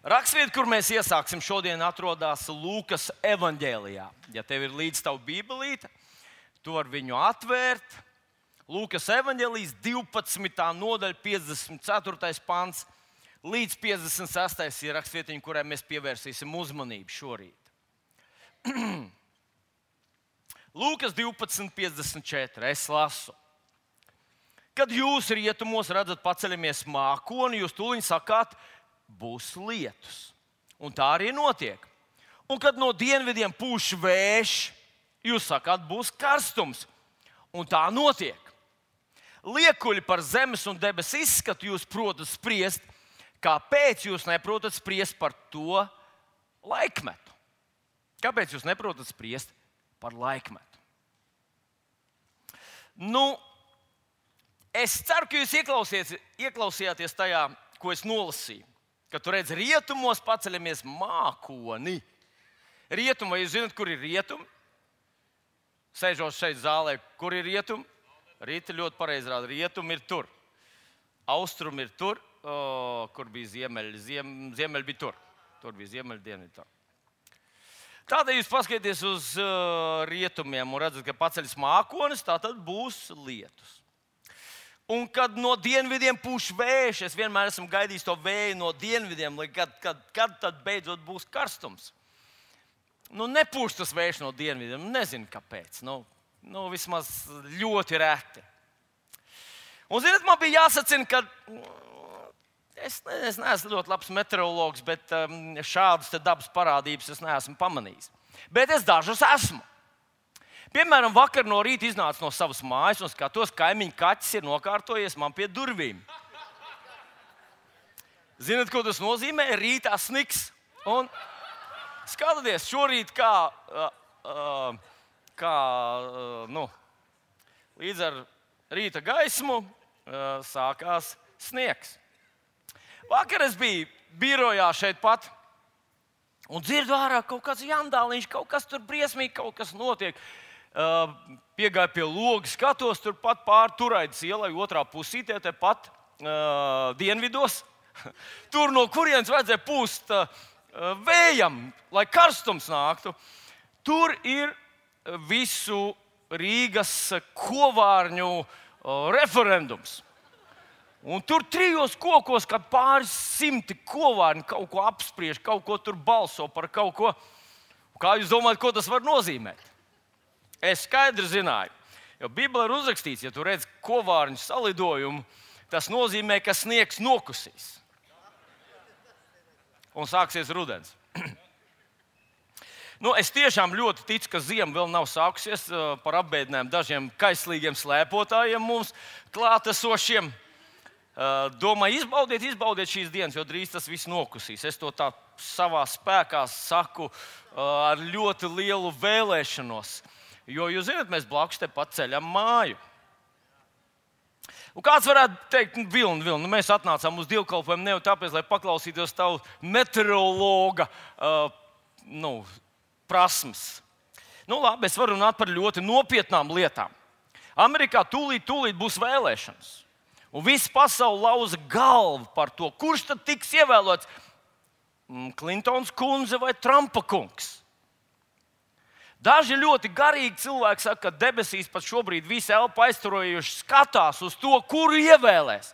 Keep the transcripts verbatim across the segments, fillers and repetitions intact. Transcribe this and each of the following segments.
Rakstvieta, kur mēs iesāksim šodien, atrodas Lūkas evaņģēlijā. Ja tev ir līdz tavu bībelīte, tu vari viņu atvērt. Lūkas evaņģēlijas divpadsmitā nodaļa, piecdesmit ceturtais pants līdz piecdesmit sestais ir rakstvietiņa, kurai mēs pievērsīsim uzmanību šorīt. Lūkas divpadsmit, piecdesmit četri. Es lasu. Kad jūs rietumos redzat paceļamies mākoni, jūs tūliņ sakāt, būs lietus. Un tā arī notiek. Un kad no dienvidiem pūš vējš, jūs sakāt, būs karstums. Un tā notiek. Liekuļi par zemes un debesu izskatu jūs protat spriest, kāpēc jūs neprotat spriest par to laikmetu? Kāpēc jūs neprotat spriest par laikmetu? Nu, es ceru, ka jūs ieklausījāties tajā, ko es nolasīju. Kad tu redzi rietumos paceļamies mākoni. Rietumi, vai jūs zināt, kur ir rietumi? Sēžot šeit zālē, kur ir rietumi? Rīta ļoti pareizi rāda. Rietumi ir tur. Austrumi ir tur, o, kur bija ziemeļi. Ziem, ziemeļi bija tur. Tur bija ziemeļi, dienvidi tur. Tādēļ jūs paskatieties uz uh, rietumiem un redzat, ka paceļas mākonis, tā tad būs lietus. Un kad no dienvidiem pūš vējš, es vienmēr esmu gaidījis to vēju no dienvidiem, kad, kad, kad tad beidzot būs karstums. Nu, nepūš tas vējš no dienvidiem, nezinu kāpēc. Nu, nu, vismaz ļoti reti. Un, zināt, man bija jāsacina, ka es, es neesmu ļoti labs meteorologs, bet um, šādas dabas parādības es neesmu pamanījis. Bet es dažus esmu. Piemēram, vakar no rīta iznācu no savas mājas un skatos, kaimiņu kaķis ir nokārtojies man pie durvīm. Zināt, ko tas nozīmē? Rītā sniks. Un skatieties, šorīt kā, uh, kā uh, nu, līdz ar rīta gaismu uh, sākās sniegs. Vakar es biju birojā šeit pat un dzirdu ārā kaut kāds jandāliņš, kaut kas tur briesmīgi, kaut kas notiek. Uh, piegāju pie loga, skatos, tur pat pār Turaidas ielai, otrā pusītē, te pat uh, dienvidos. Tur no kurienes vajadzēja pūst uh, vējam, lai karstums nāktu. Tur ir visu Rīgas kovārņu uh, referendums. Un tur trijos kokos, kad pāris simti kovārņi kaut ko apspriež, kaut ko tur balso par kaut ko. Kā jūs domājat, ko tas var nozīmēt? Es skaidri zināju, jo Bībelē ir uzrakstīts, ja tu redz kovārņu salidojumu, tas nozīmē, ka sniegs nokusīs. Un sāksies rudens. Nu, es tiešām ļoti ticu, ka ziema vēl nav sākusies par apbēdinājumu dažiem kaislīgiem slēpotājiem mums klātesošiem. Domāju, izbaudiet, izbaudiet šīs dienas, jo drīz tas viss nokusīs. Es to tā savā spēkā saku ar ļoti lielu vēlēšanos. Jo, jūs zināt, mēs blakus te pat ceļam māju. Un kāds varētu teikt, nu, Vilni, Vilni, nu, mēs atnācām uz dievkalpojumu ne jau tāpēc, lai paklausītos tavu meteorologa uh, nu, prasmes. Nu, labi, es varu runāt par ļoti nopietnām lietām. Amerikā tūlīt, tūlīt būs vēlēšanas. Un visa pasaule lauza galvu par to, kurš tad tiks ievēlots, Klintons kundze vai Trumpa kungs. Daži ļoti garīgi cilvēki saka, ka debesīs pat šobrīd visi elpa aizturojuši skatās uz to, kuru ievēlēs.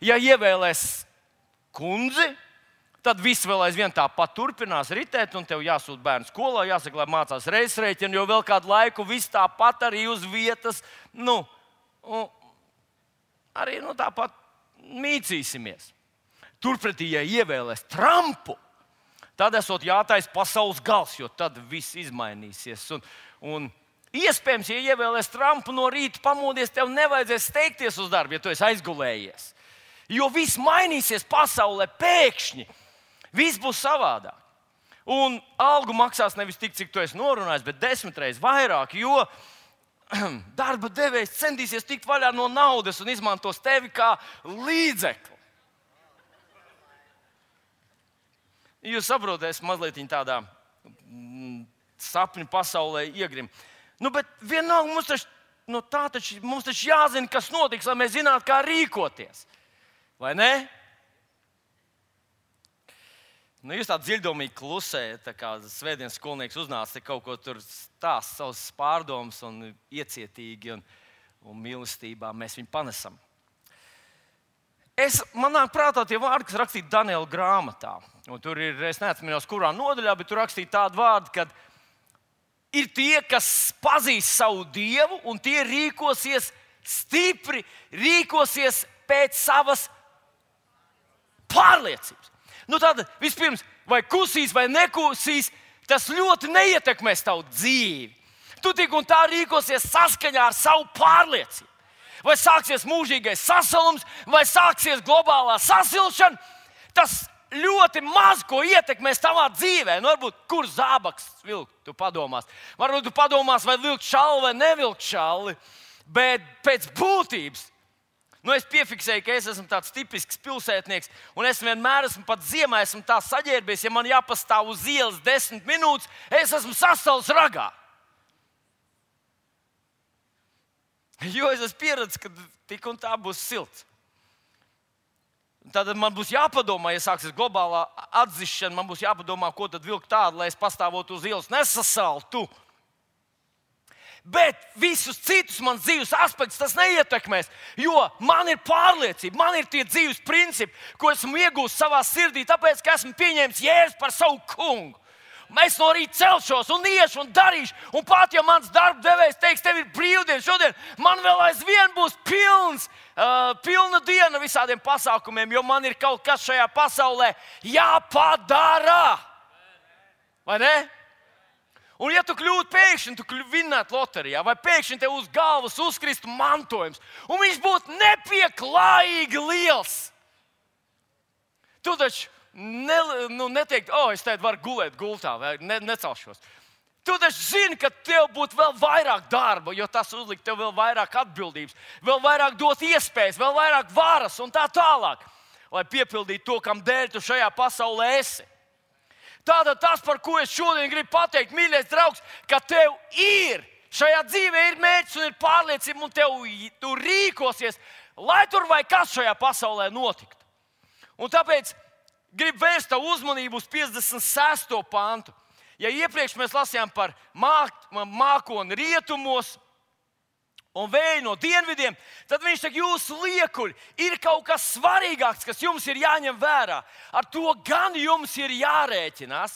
Ja ievēlēs kundzi, tad viss vēl aizvien tāpat turpinās ritēt, un tev jāsūt bērnu skolā, jāsaka, lai mācās reizrēķinu, jo vēl kādu laiku viss tāpat arī uz vietas, nu, arī nu, tāpat mīcīsimies. Turpretī, ja ievēlēs Trumpu, tad esot jātaisa pasaules gals, jo tad viss izmainīsies. Un, un iespējams, ja ievēlēs Trumpu no rīta pamodies, tev nevajadzēs steigties uz darbu, ja tu esi aizgulējies. Jo viss mainīsies pasaulē pēkšņi. Viss būs savādāk. Un algu maksās nevis tik, cik tu esi norunājis, bet desmit reizes vairāk, jo darba devējs centīsies tikt vaļā no naudas un izmantos tevi kā līdzekli. Jūs saprotat, es mazliet tādā mm, sapņu pasaulē iegrim. Nu, bet vienalga mums taču, nu, tā taču, mums taču jāzina, kas notiks, lai mēs zinātu, kā rīkoties. Vai ne? Nu, jūs tā dziļdomīgi klusējat, tā kā svētdienas skolnieks uznāca kaut ko tur stāst savus pārdomas un iecietīgi un, un mīlestībā mēs viņu panesam. Es, man nāk prātā tie vārdi, kas rakstīti Daniela grāmatā. Un tur ir, es neatceros, kurā nodaļā, bet tur rakstīti tādi vārdi, ka ir tie, kas pazīst savu Dievu un tie rīkosies stipri, rīkosies pēc savas pārliecības. Nu tad vispirms, vai kusīs vai nekusīs, tas ļoti neietekmēs tavu dzīvi. Tu tik un tā rīkosies saskaņā ar savu pārliecību. Vai sāksies mūžīgais sasalums, vai sāksies globālā sasilšana, tas ļoti maz ko ietekmēs tavā dzīvē. Nu, varbūt, kur zābaks vilkt, tu padomās. Varbūt tu padomās, vai vilkt šalli vai nevilkt šalli, bet pēc būtības. Nu, es piefiksēju, ka es esmu tāds tipisks pilsētnieks, un es vienmēr esmu pat ziemā, esmu tā saģērbies, ja man jāpastāv uz ielas desmit minūtes, es esmu sasals ragā. Jo es esmu pieredzējis, ka tik un tā būs silts. Tad man būs jāpadomā, ja sāksies globālā atzišana, man būs jāpadomā, ko tad vilkt tādu, lai es pastāvotu uz ielas nesasaltu. Bet visus citus manas dzīves aspektus tas neietekmēs, jo man ir pārliecība, man ir tie dzīves principi, ko esmu iegūstis savā sirdī, tāpēc, ka esmu pieņēmis Jēzu par savu kungu. Es no rīta celšos un iešu un darīšu, un pat ja mans darba devējs teiks, tev ir brīvdiena šodien, man vēl aizvien būs pilns, uh, pilna diena visādiem pasākumiem, jo man ir kaut kas šajā pasaulē jāpadara. Vai ne? Un ja tu kļūtu pēkšņi, tu kļūtu vinnēt loterijā, vai pēkšņi tev uz galvas uzkristu mantojums, un viņš būtu nepieklājīgi liels, tu taču Ne, nu, neteikt, o, oh, es teicu, varu gulēt gultā, vai ne, necelšos. Tu taču zini, ka tev būtu vēl vairāk darba, jo tas uzlikt tev vēl vairāk atbildības, vēl vairāk dot iespējas, vēl vairāk varas un tā tālāk, lai piepildītu to, kam dēļ tu šajā pasaulē esi. Tātad tas, par ko es šodien gribu pateikt, mīļais draugs, ka tev ir, šajā dzīvē ir mērķis un ir pārliecība, un tev tu rīkosies, lai tur vai kas šajā pasaulē notiktu. Un tāpēc gribu vērst tavu uzmanību uz piecdesmit sesto pantu. Ja iepriekš mēs lasījām par māk, mākoni rietumos un vēju no dienvidiem, tad viņš saka, jūsu liekuļi ir kaut kas svarīgāks, kas jums ir jāņem vērā. Ar to gan jums ir jārēķinās.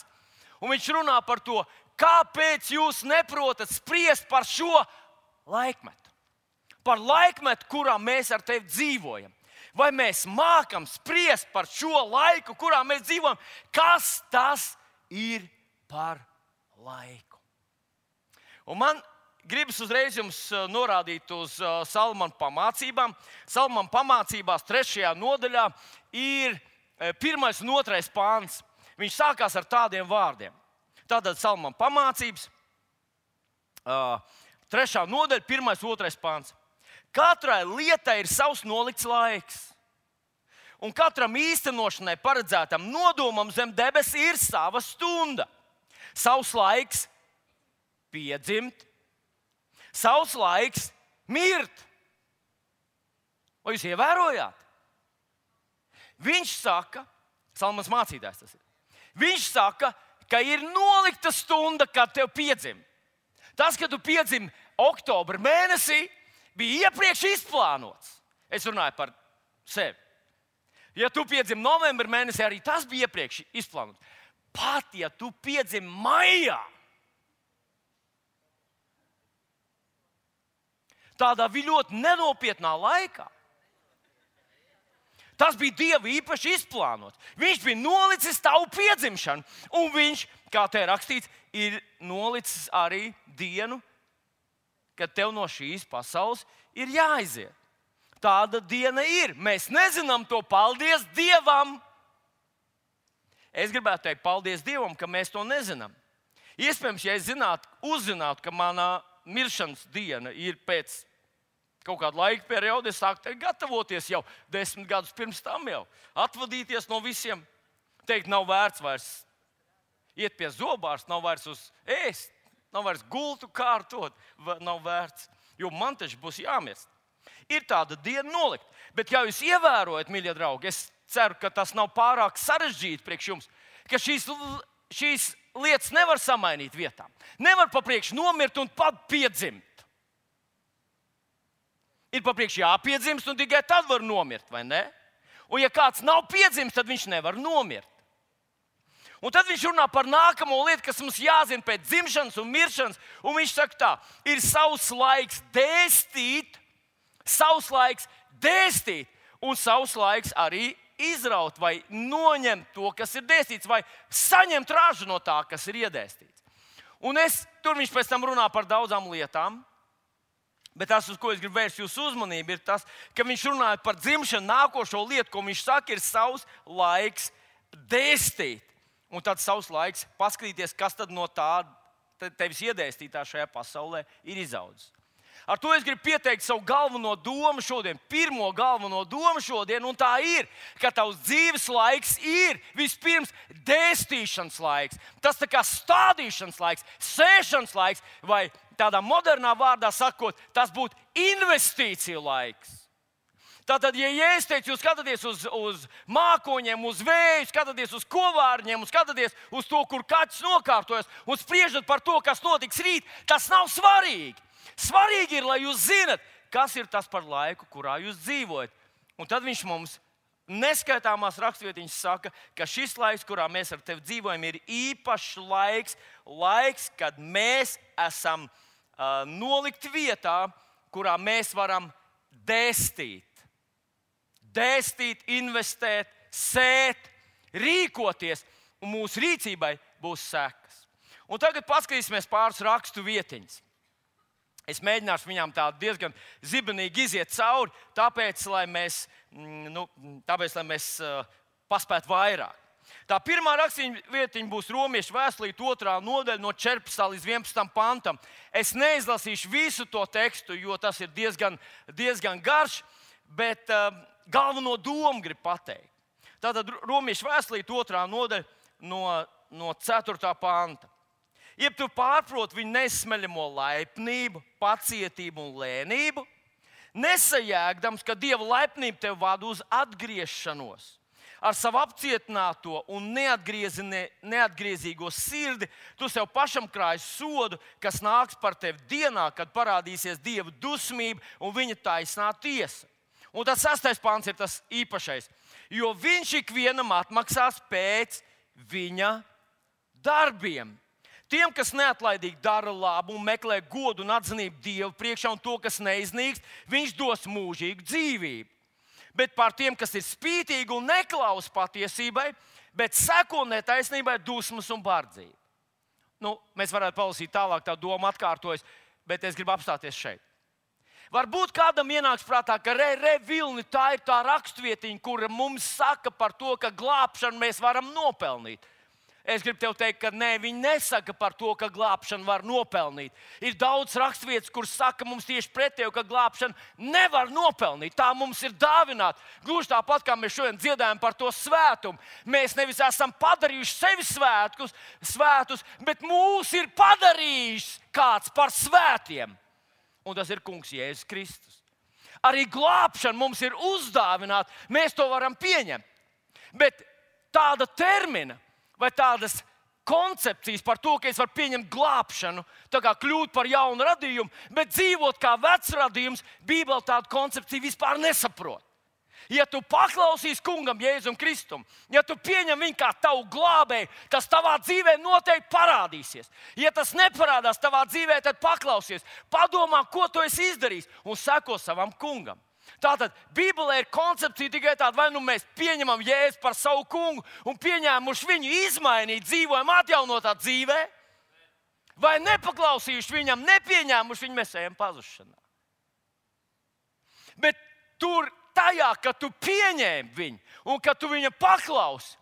Un viņš runā par to, kāpēc jūs neprotat spriest par šo laikmetu. Par laikmetu, kurā mēs ar tevi dzīvojam. Vai mēs mākam spriest par šo laiku, kurā mēs dzīvojam, kas tas ir par laiku? Un man gribas uzreiz jums norādīt uz Salmana pamācībām. Salmana pamācībās trešajā nodaļā ir pirmais un otrais pāns. Viņš sākās ar tādiem vārdiem. Tātad Salmana pamācības, trešā nodaļa, pirmais un otrais pāns. Katrai lietai ir savs nolikts laiks, un katram īstenošanai paredzētam nodomam zem debes ir sava stunda. Savs laiks piedzimt, savs laiks mirt. Vai jūs ievērojāt? Viņš saka, Salmans mācītājs tas ir, viņš saka, ka ir nolikta stunda, kad tev piedzim. Tas, kad tu piedzim oktobra mēnesī, bija iepriekš izplānots. Es runāju par sevi. Ja tu piedzim novembra mēnesī, arī tas bija iepriekš izplānots. Pat ja tu piedzim maijā, tādā ļoti nenopietnā laikā, tas bija Dieva īpaši izplānots. Viņš bija nolicis tavu piedzimšanu, un viņš, kā te rakstīts, ir nolicis arī dienu, kad tev no šīs pasaules ir jāaiziet. Tāda diena ir. Mēs nezinām to, paldies Dievam. Es gribētu teikt, paldies Dievam, ka mēs to nezinām. Iespējams, ja es zinātu, uzzinātu, ka manā miršanas diena ir pēc kaut kāda laika perioda, es sāktu gatavoties jau desmit gadus pirms tam jau. Atvadīties no visiem. Teikt, nav vērts vairs iet pie zobārsta, nav vairs uz ēst. Nav vairs gultu kārtot, nav vērts, jo man taču būs jāmirst. Ir tāda diena nolikt. Bet, ja jūs ievērojat, mīļie draugi, es ceru, ka tas nav pārāk sarežģīti priekš jums, ka šīs, šīs lietas nevar samainīt vietām. Nevar pa priekšu nomirt un pat piedzimt. Ir pa priekšu jāpiedzimst, un tikai tad var nomirt, vai ne? Un ja kāds nav piedzimis, tad viņš nevar nomirt. Un tad viņš runā par nākamo lietu, kas mums jāzina pēc dzimšanas un miršanas. Un viņš saka tā, ir savs laiks dēstīt, savs laiks dēstīt, un savs laiks arī izraut vai noņemt to, kas ir dēstīts, vai saņemt ražu no tā, kas ir iedēstīts. Un es, tur viņš pēc tam runā par daudzām lietām. Bet tas, uz ko es gribu vērst jūsu uzmanību, ir tas, ka viņš runāja par dzimšanu, nākošo lietu, ko viņš saka, ir savs laiks dēstīt. Un tad savs laiks paskatīties, kas tad no tā tevis iedēstītā šajā pasaulē ir izaudzis. Ar to es gribu pieteikt savu galveno domu šodien, pirmo galveno domu šodien, un tā ir, ka tavs dzīves laiks ir vispirms dēstīšanas laiks. Tas tā kā stādīšanas laiks, sēšanas laiks, vai tādā modernā vārdā sakot, tas būtu investīciju laiks. Tātad, ja Jēzus teica, jūs skatāties uz, uz mākoņiem, uz vēju, skatāties uz kovārņiem, skatāties uz to, kur kaķis nokārtojas, un spriežat par to, kas notiks rīt, tas nav svarīgi. Svarīgi ir, lai jūs zinat, kas ir tas par laiku, kurā jūs dzīvojat. Un tad viņš mums neskaitāmās rakstvietiņas saka, ka šis laiks, kurā mēs ar tevi dzīvojam, ir īpašs laiks, laiks, kad mēs esam uh, nolikti vietā, kurā mēs varam dēstīt. Dēstīt, investēt, sēt, rīkoties, un mūsu rīcībai būs sekas. Un tagad paskatīsimies pāris rakstu vietiņas. Es mēģināšu viņām tā diezgan zibenīgi iziet cauri, tāpēc, lai mēs, nu, tāpēc, lai mēs uh, paspētu vairāk. Tā pirmā raksturvietiņa būs Romiešu vēstulīte otrā nodaļa no četrpadsmitā līdz vienpadsmitam pantam. Es neizlasīšu visu to tekstu, jo tas ir diezgan, diezgan garš, bet uh, galveno domu gribu pateikt. Tātad Romiešu vēstulīte otrā nodaļa no, no ceturtā panta. Jeb tu pārproti viņu nesmeļamo laipnību, pacietību un lēnību, nesajēgdams, ka Dieva laipnība tev vada uz atgriešanos. Ar savu apcietināto un neatgriezīgo sirdi tu sev pašam krāji sodu, kas nāks par tevi dienā, kad parādīsies Dieva dusmība un viņa taisnā tiesa. Un tas sastais pants ir tas īpašais, jo viņš ikvienam atmaksās pēc viņa darbiem. Tiem, kas neatlaidīgi dara labu un meklē godu un atzinību Dievu priekšā un to, kas neiznīkst, viņš dos mūžīgu dzīvību. Bet par tiem, kas ir spītīgi un neklausa patiesībai, bet seko netaisnībai, dusmas un bardzību. Nu, mēs varētu palasīt tālāk, tā doma atkārtojas, bet es gribu apstāties šeit. Varbūt kādam ienāks prātā, ka re, re, vilni, tā ir tā raksturvietiņa, kura mums saka par to, ka glābšanu mēs varam nopelnīt. Es gribu tev teikt, ka nē, viņi nesaka par to, ka glābšanu var nopelnīt. Ir daudz raksturvietas, kuras saka mums tieši pretēji, ka glābšanu nevar nopelnīt. Tā mums ir dāvināta. Gluži tāpat, kā mēs šodien dziedājam par to svētumu. Mēs nevis esam padarījuši sevi svētkus, svētus, bet mūs ir padarījis kāds par svētiem. Un tas ir Kungs Jēzus Kristus. Arī glābšana mums ir uzdāvināta. Mēs to varam pieņemt. Bet tāda termina vai tādas koncepcijas par to, ka es varu pieņemt glābšanu, tā kā kļūt par jaunu radījumu, bet dzīvot kā vecs radījums, Bībele tādu koncepciju vispār nesaprot. Ja tu paklausīsi Kungam Jēzum Kristum, ja tu pieņem viņu kā tavu glābēju, tas tavā dzīvē noteikti parādīsies. Ja tas neparādās tavā dzīvē, tad paklausies, padomā, ko tu esi izdarījis un seko savam Kungam. Tātad Bībelē ir koncepcija tikai tāda, vai nu mēs pieņemam Jēzu par savu kungu un pieņēmuši viņu izmainīt, dzīvojam atjaunotā dzīvē, vai nepaklausījuši viņam, nepieņēmuši viņu, mēs ejam pazušanā. Bet tur tajā, ka tu pieņēmi viņu un ka tu viņam paklausi,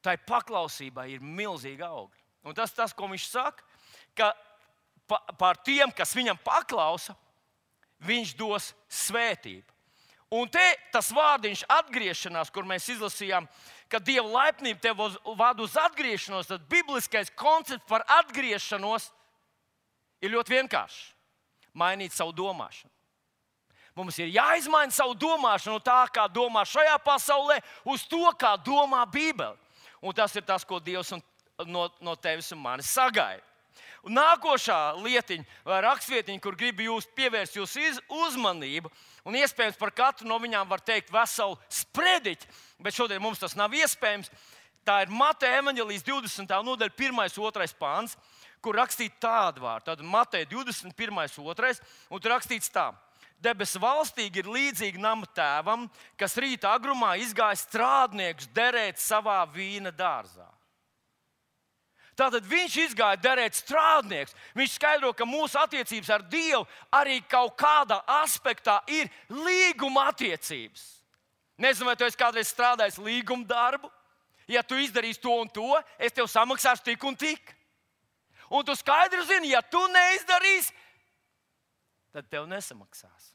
tai paklausībai ir milzīga augļa. Un tas tas, ko viņš saka, ka pa, par tiem, kas viņam paklausa, viņš dos svētību. Un te tas vārdiņš atgriešanās, kur mēs izlasījām, ka Dieva laipnība tev vada uz atgriešanos, tad bibliskais koncepts par atgriešanos ir ļoti vienkāršs. Mainīt savu domāšanu. Mums ir jāizmaina savu domāšanu no tā, kā domā šajā pasaulē, uz to, kā domā Bībele. Un tas ir tas, ko Dievs no, no tevis un manis sagaida. Un nākošā lietiņa, vai rakstvietiņa, kur gribu jūs pievērst jūsu uzmanību, un iespējams par katru no viņām var teikt veselu sprediķi, bet šodien mums tas nav iespējams. Tā ir Mateja evaņģēlijas divdesmitā nodaļa, pirmais, otrais pāns, kur rakstīts tādu vārdu. Tad Mateja divdesmit pirmais, otrais, un tur rakstīts tā. Debesu valstīgi ir līdzīgi nama tēvam, kas rīta agrumā izgāja strādniekus derēt savā vīna dārzā. Tātad viņš izgāja derēt strādniekus. Viņš skaidro, ka mūsu attiecības ar Dievu arī kaut kādā aspektā ir līguma attiecības. Nezinu, vai tu esi kādreiz strādājis līguma darbu. Ja tu izdarīsi to un to, es tev samaksāšu tik un tik. Un tu skaidri zini, ja tu neizdarīsi, tad tev nesamaksās.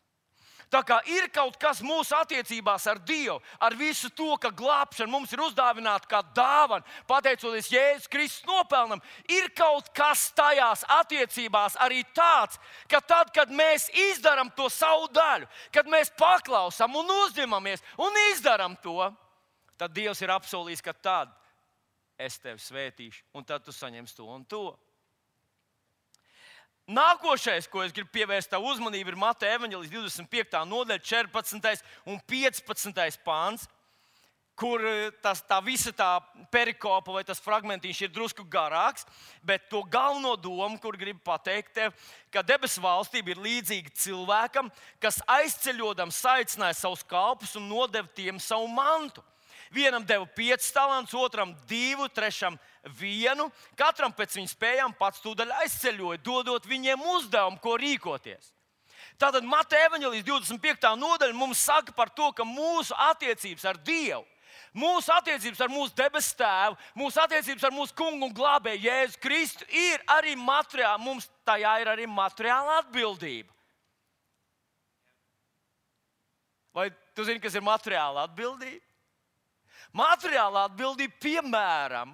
Tā kā ir kaut kas mūsu attiecībās ar Dievu, ar visu to, ka glābšana mums ir uzdāvināta kā dāvana, pateicoties Jēzus Kristus nopelnam, ir kaut kas tajās attiecībās arī tāds, ka tad, kad mēs izdarām to savu daļu, kad mēs paklausām un uzņemamies un izdarām to, tad Dievs ir apsolījis, ka tad es tevi svētīšu, un tad tu saņemsi to un to. Nākošais, ko es gribu pievērst tavu uzmanību, ir Mateja evaņģēlijas divdesmit piektā nodaļa, četrpadsmitais un piecpadsmitais pāns, kur tas, tā visa tā perikopa vai tas fragmentiņš ir drusku garāks, bet to galveno domu, kur gribu pateikt tev, ka debesu valstība ir līdzīga cilvēkam, kas aizceļodams saicināja savus kalpus un nodeva tiem savu mantu. Vienam deva piecus talantus, otram divu, trešam vienu. Katram pēc viņa spējām pats tūdaļ aizceļoja, dodot viņiem uzdevumu, ko rīkoties. Tātad Mateja evaņģēlijas divdesmit piektā nodaļa mums saka par to, ka mūsu attiecības ar Dievu, mūsu attiecības ar mūsu debesu tēvu, mūsu attiecības ar mūsu kungu un glābēju Jēzu Kristu ir arī materiāla, mums tajā ir arī materiāla atbildība. Vai tu zini, kas ir materiāla atbildība? Materiālā atbildība, piemēram,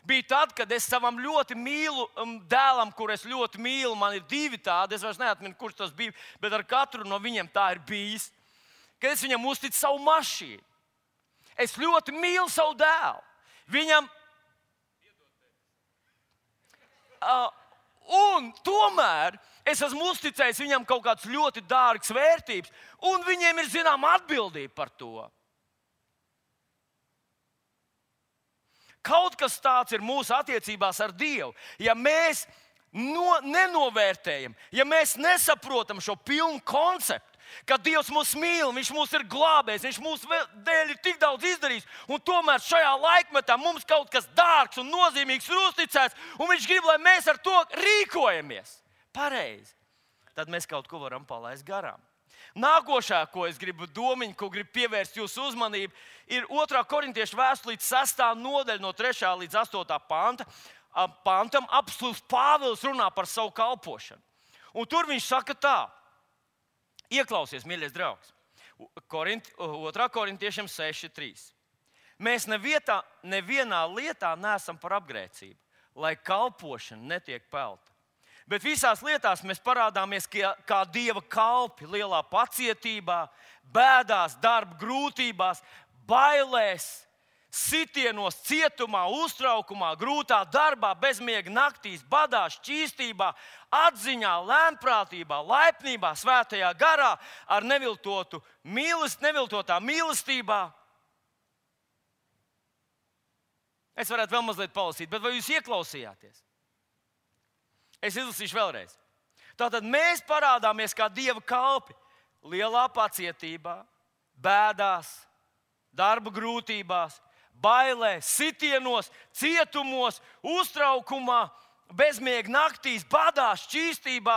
bija tad, kad es savam ļoti mīlu dēlam, kur es ļoti mīlu, man ir divi tādi, es vairs neatminu, kurš tas bija, bet ar katru no viņiem tā ir bijis, kad es viņam uzticu savu mašīnu. Es ļoti mīlu savu dēlu. Viņam... Uh, un tomēr es esmu uzticējis viņam kaut kādas ļoti dārgas vērtības, un viņiem ir zināma atbildība par to. Kaut kas tāds ir mūsu attiecībās ar Dievu. Ja mēs no, nenovērtējam, ja mēs nesaprotam šo pilnu konceptu, ka Dievs mūs mīl, Viņš mūs ir glābējis, Viņš mūsu dēļ ir tik daudz izdarījis, un tomēr šajā laikmetā mums kaut kas dārgs un nozīmīgs ir uzticēts, un Viņš grib, lai mēs ar to rīkojamies pareizi. Tad mēs kaut ko varam palaist garām. Nākošā, ko es gribu domiņu, ko gribu pievērst jūsu uzmanību, ir otrā korintiešu vēstulītes sestā nodaļa no trešā līdz astotā panta. Pantam apostuls Pāvils runā par savu kalpošanu. Un tur viņš saka tā, ieklausies, mīļais draugs, Korint, otrā korintiešiem seši trīs. Mēs nevietā, nevienā lietā neesam par apgrēcību, lai kalpošana netiek pelta. Bet visās lietās mēs parādāmies kā, kā Dieva kalpi, lielā pacietībā, bēdās, darba grūtībās, bailēs, sitienos, cietumā, uztraukumā, grūtā darbā, bezmiega naktīs, badā, šķīstībā, atziņā, lēnprātībā, laipnībā, svētajā garā, ar neviltotu mīlest, neviltotā mīlestībā. Es varētu vēl mazliet palasīt, bet vai jūs ieklausījāties? Es izlasīšu vēlreiz. Tātad mēs parādāmies kā Dieva kalpi lielā pacietībā, bēdās, darba grūtībās, bailēs, sitienos, cietumos, uztraukumā, bezmiega naktīs, badā, šķīstībā,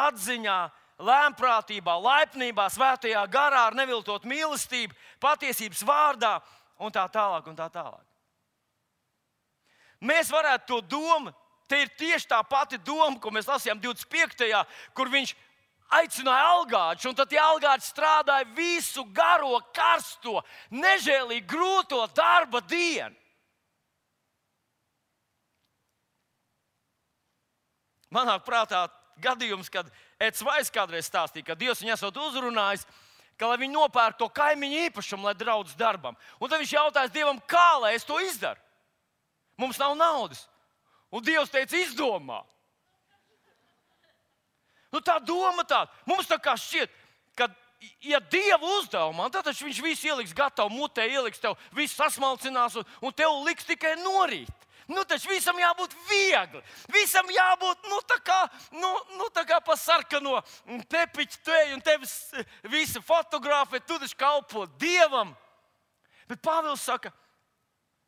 atziņā, lēnprātībā, laipnībā, svētajā garā, ar neviltotu mīlestību, patiesības vārdā un tā tālāk un tā tālāk. Mēs varētu to domāt. Te ir tieši tā pati doma, ko mēs lasījām divdesmit piektajā, kur viņš aicināja algāčus, un tad tie algāči strādāja visu garo, karsto, nežēlīgi grūto darba dienu. Manā prātā gadījums, kad Eds Vais kādreiz stāstīja, ka Dievs viņu esot uzrunājis, ka lai viņi nopērk to kaimiņu īpašumu, lai draudz darbam. Un tad viņš jautājis Dievam, kā lai es to izdaru? Mums nav naudas. Un Dievs teica, izdomā. Nu, tā doma tāda. Mums tā kā šķiet, ka, ja Dievu uzdevumā, tad viņš visu ieliks gatavu mutē, ieliks tev, visu sasmalcinās un, un tev liks tikai norīt. Nu, taču visam jābūt viegli. Visam jābūt, nu, tā kā, nu, nu, tā kā pa sarkano tepiķu teju un tevis visi fotogrāfi, tu taču kalpo Dievam. Bet Pāvils saka,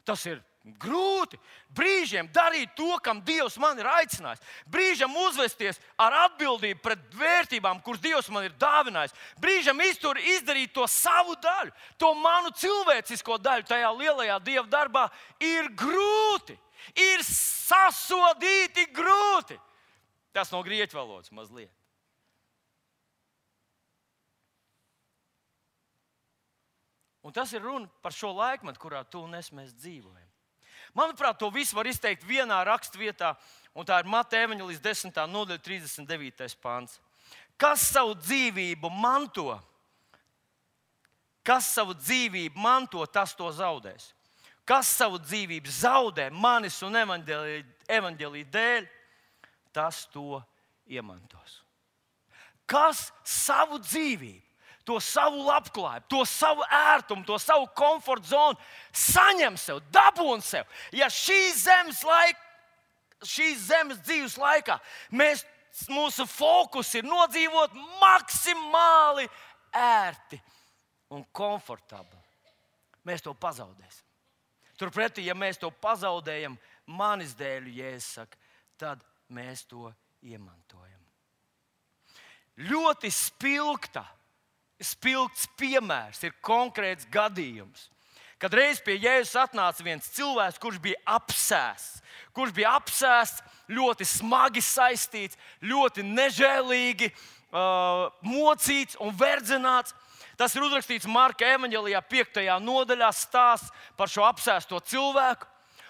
tas ir grūti. Brīžiem darīt to, kam Dievs man ir aicinājis. Brīžiem uzvesties ar atbildību pret vērtībām, kuras Dievs man ir dāvinājis. Brīžiem iztur, izdarīt to savu daļu, to manu cilvēcisko daļu tajā lielajā Dieva darbā ir grūti. Ir sasodīti grūti. Tas no grieķu valodas mazliet. Un tas ir runa par šo laikmetu, kurā tu un es mēs dzīvojam. Manuprāt, to visu var izteikt vienā rakstvietā, un tā ir Mateja evaņģēlijas desmitā nodaļa trīsdesmit devītais pants. Kas savu dzīvību manto, kas savu dzīvību manto, tas to zaudēs. Kas savu dzīvību zaudē manis un evaņģēlija dēļ, tas to iemantos. Kas savu dzīvību, to savu labklājību, to savu ērtumu, to savu komforta zonu saņem sev, dabūn sev. Ja šīs zemes, laik, šīs zemes dzīves laikā mēs, mūsu fokus ir nodzīvot maksimāli ērti un komfortabli, mēs to pazaudēsim. Turpretī, ja mēs to pazaudējam manis dēļ, Jēzus saka, tad mēs to iemantojam. Ļoti spilgta, spilgts piemērs ir konkrēts gadījums, kad reiz pie Jēzus atnāca viens cilvēks, kurš bija apsēsts, kurš bija apsēsts, ļoti smagi saistīts, ļoti nežēlīgi uh, mocīts un verdzināts. Tas ir uzrakstīts Marka evaņģēlijā piektajā nodaļā, stāsts par šo apsēsto cilvēku.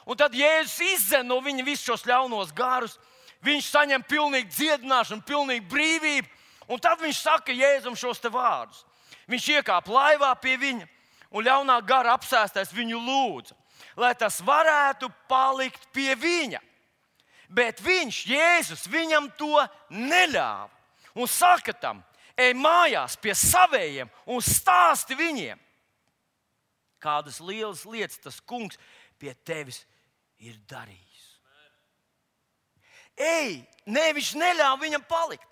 Un tad Jēzus izdzen no viņa visus šos ļaunos garus. Viņš saņem pilnīgu dziedināšanu, pilnīgu brīvību. Un tad viņš saka Jēzum šos te vārdus. Viņš iekāpa laivā pie viņa, un ļaunā gara apsēstais viņu lūdza, lai tas varētu palikt pie viņa. Bet viņš, Jēzus, viņam to neļāva. Un saka tam, ej mājās pie savējiem un stāsti viņiem, kādas lielas lietas tas kungs pie tevis ir darījis. Ej, ne, viņš neļāva viņam palikt,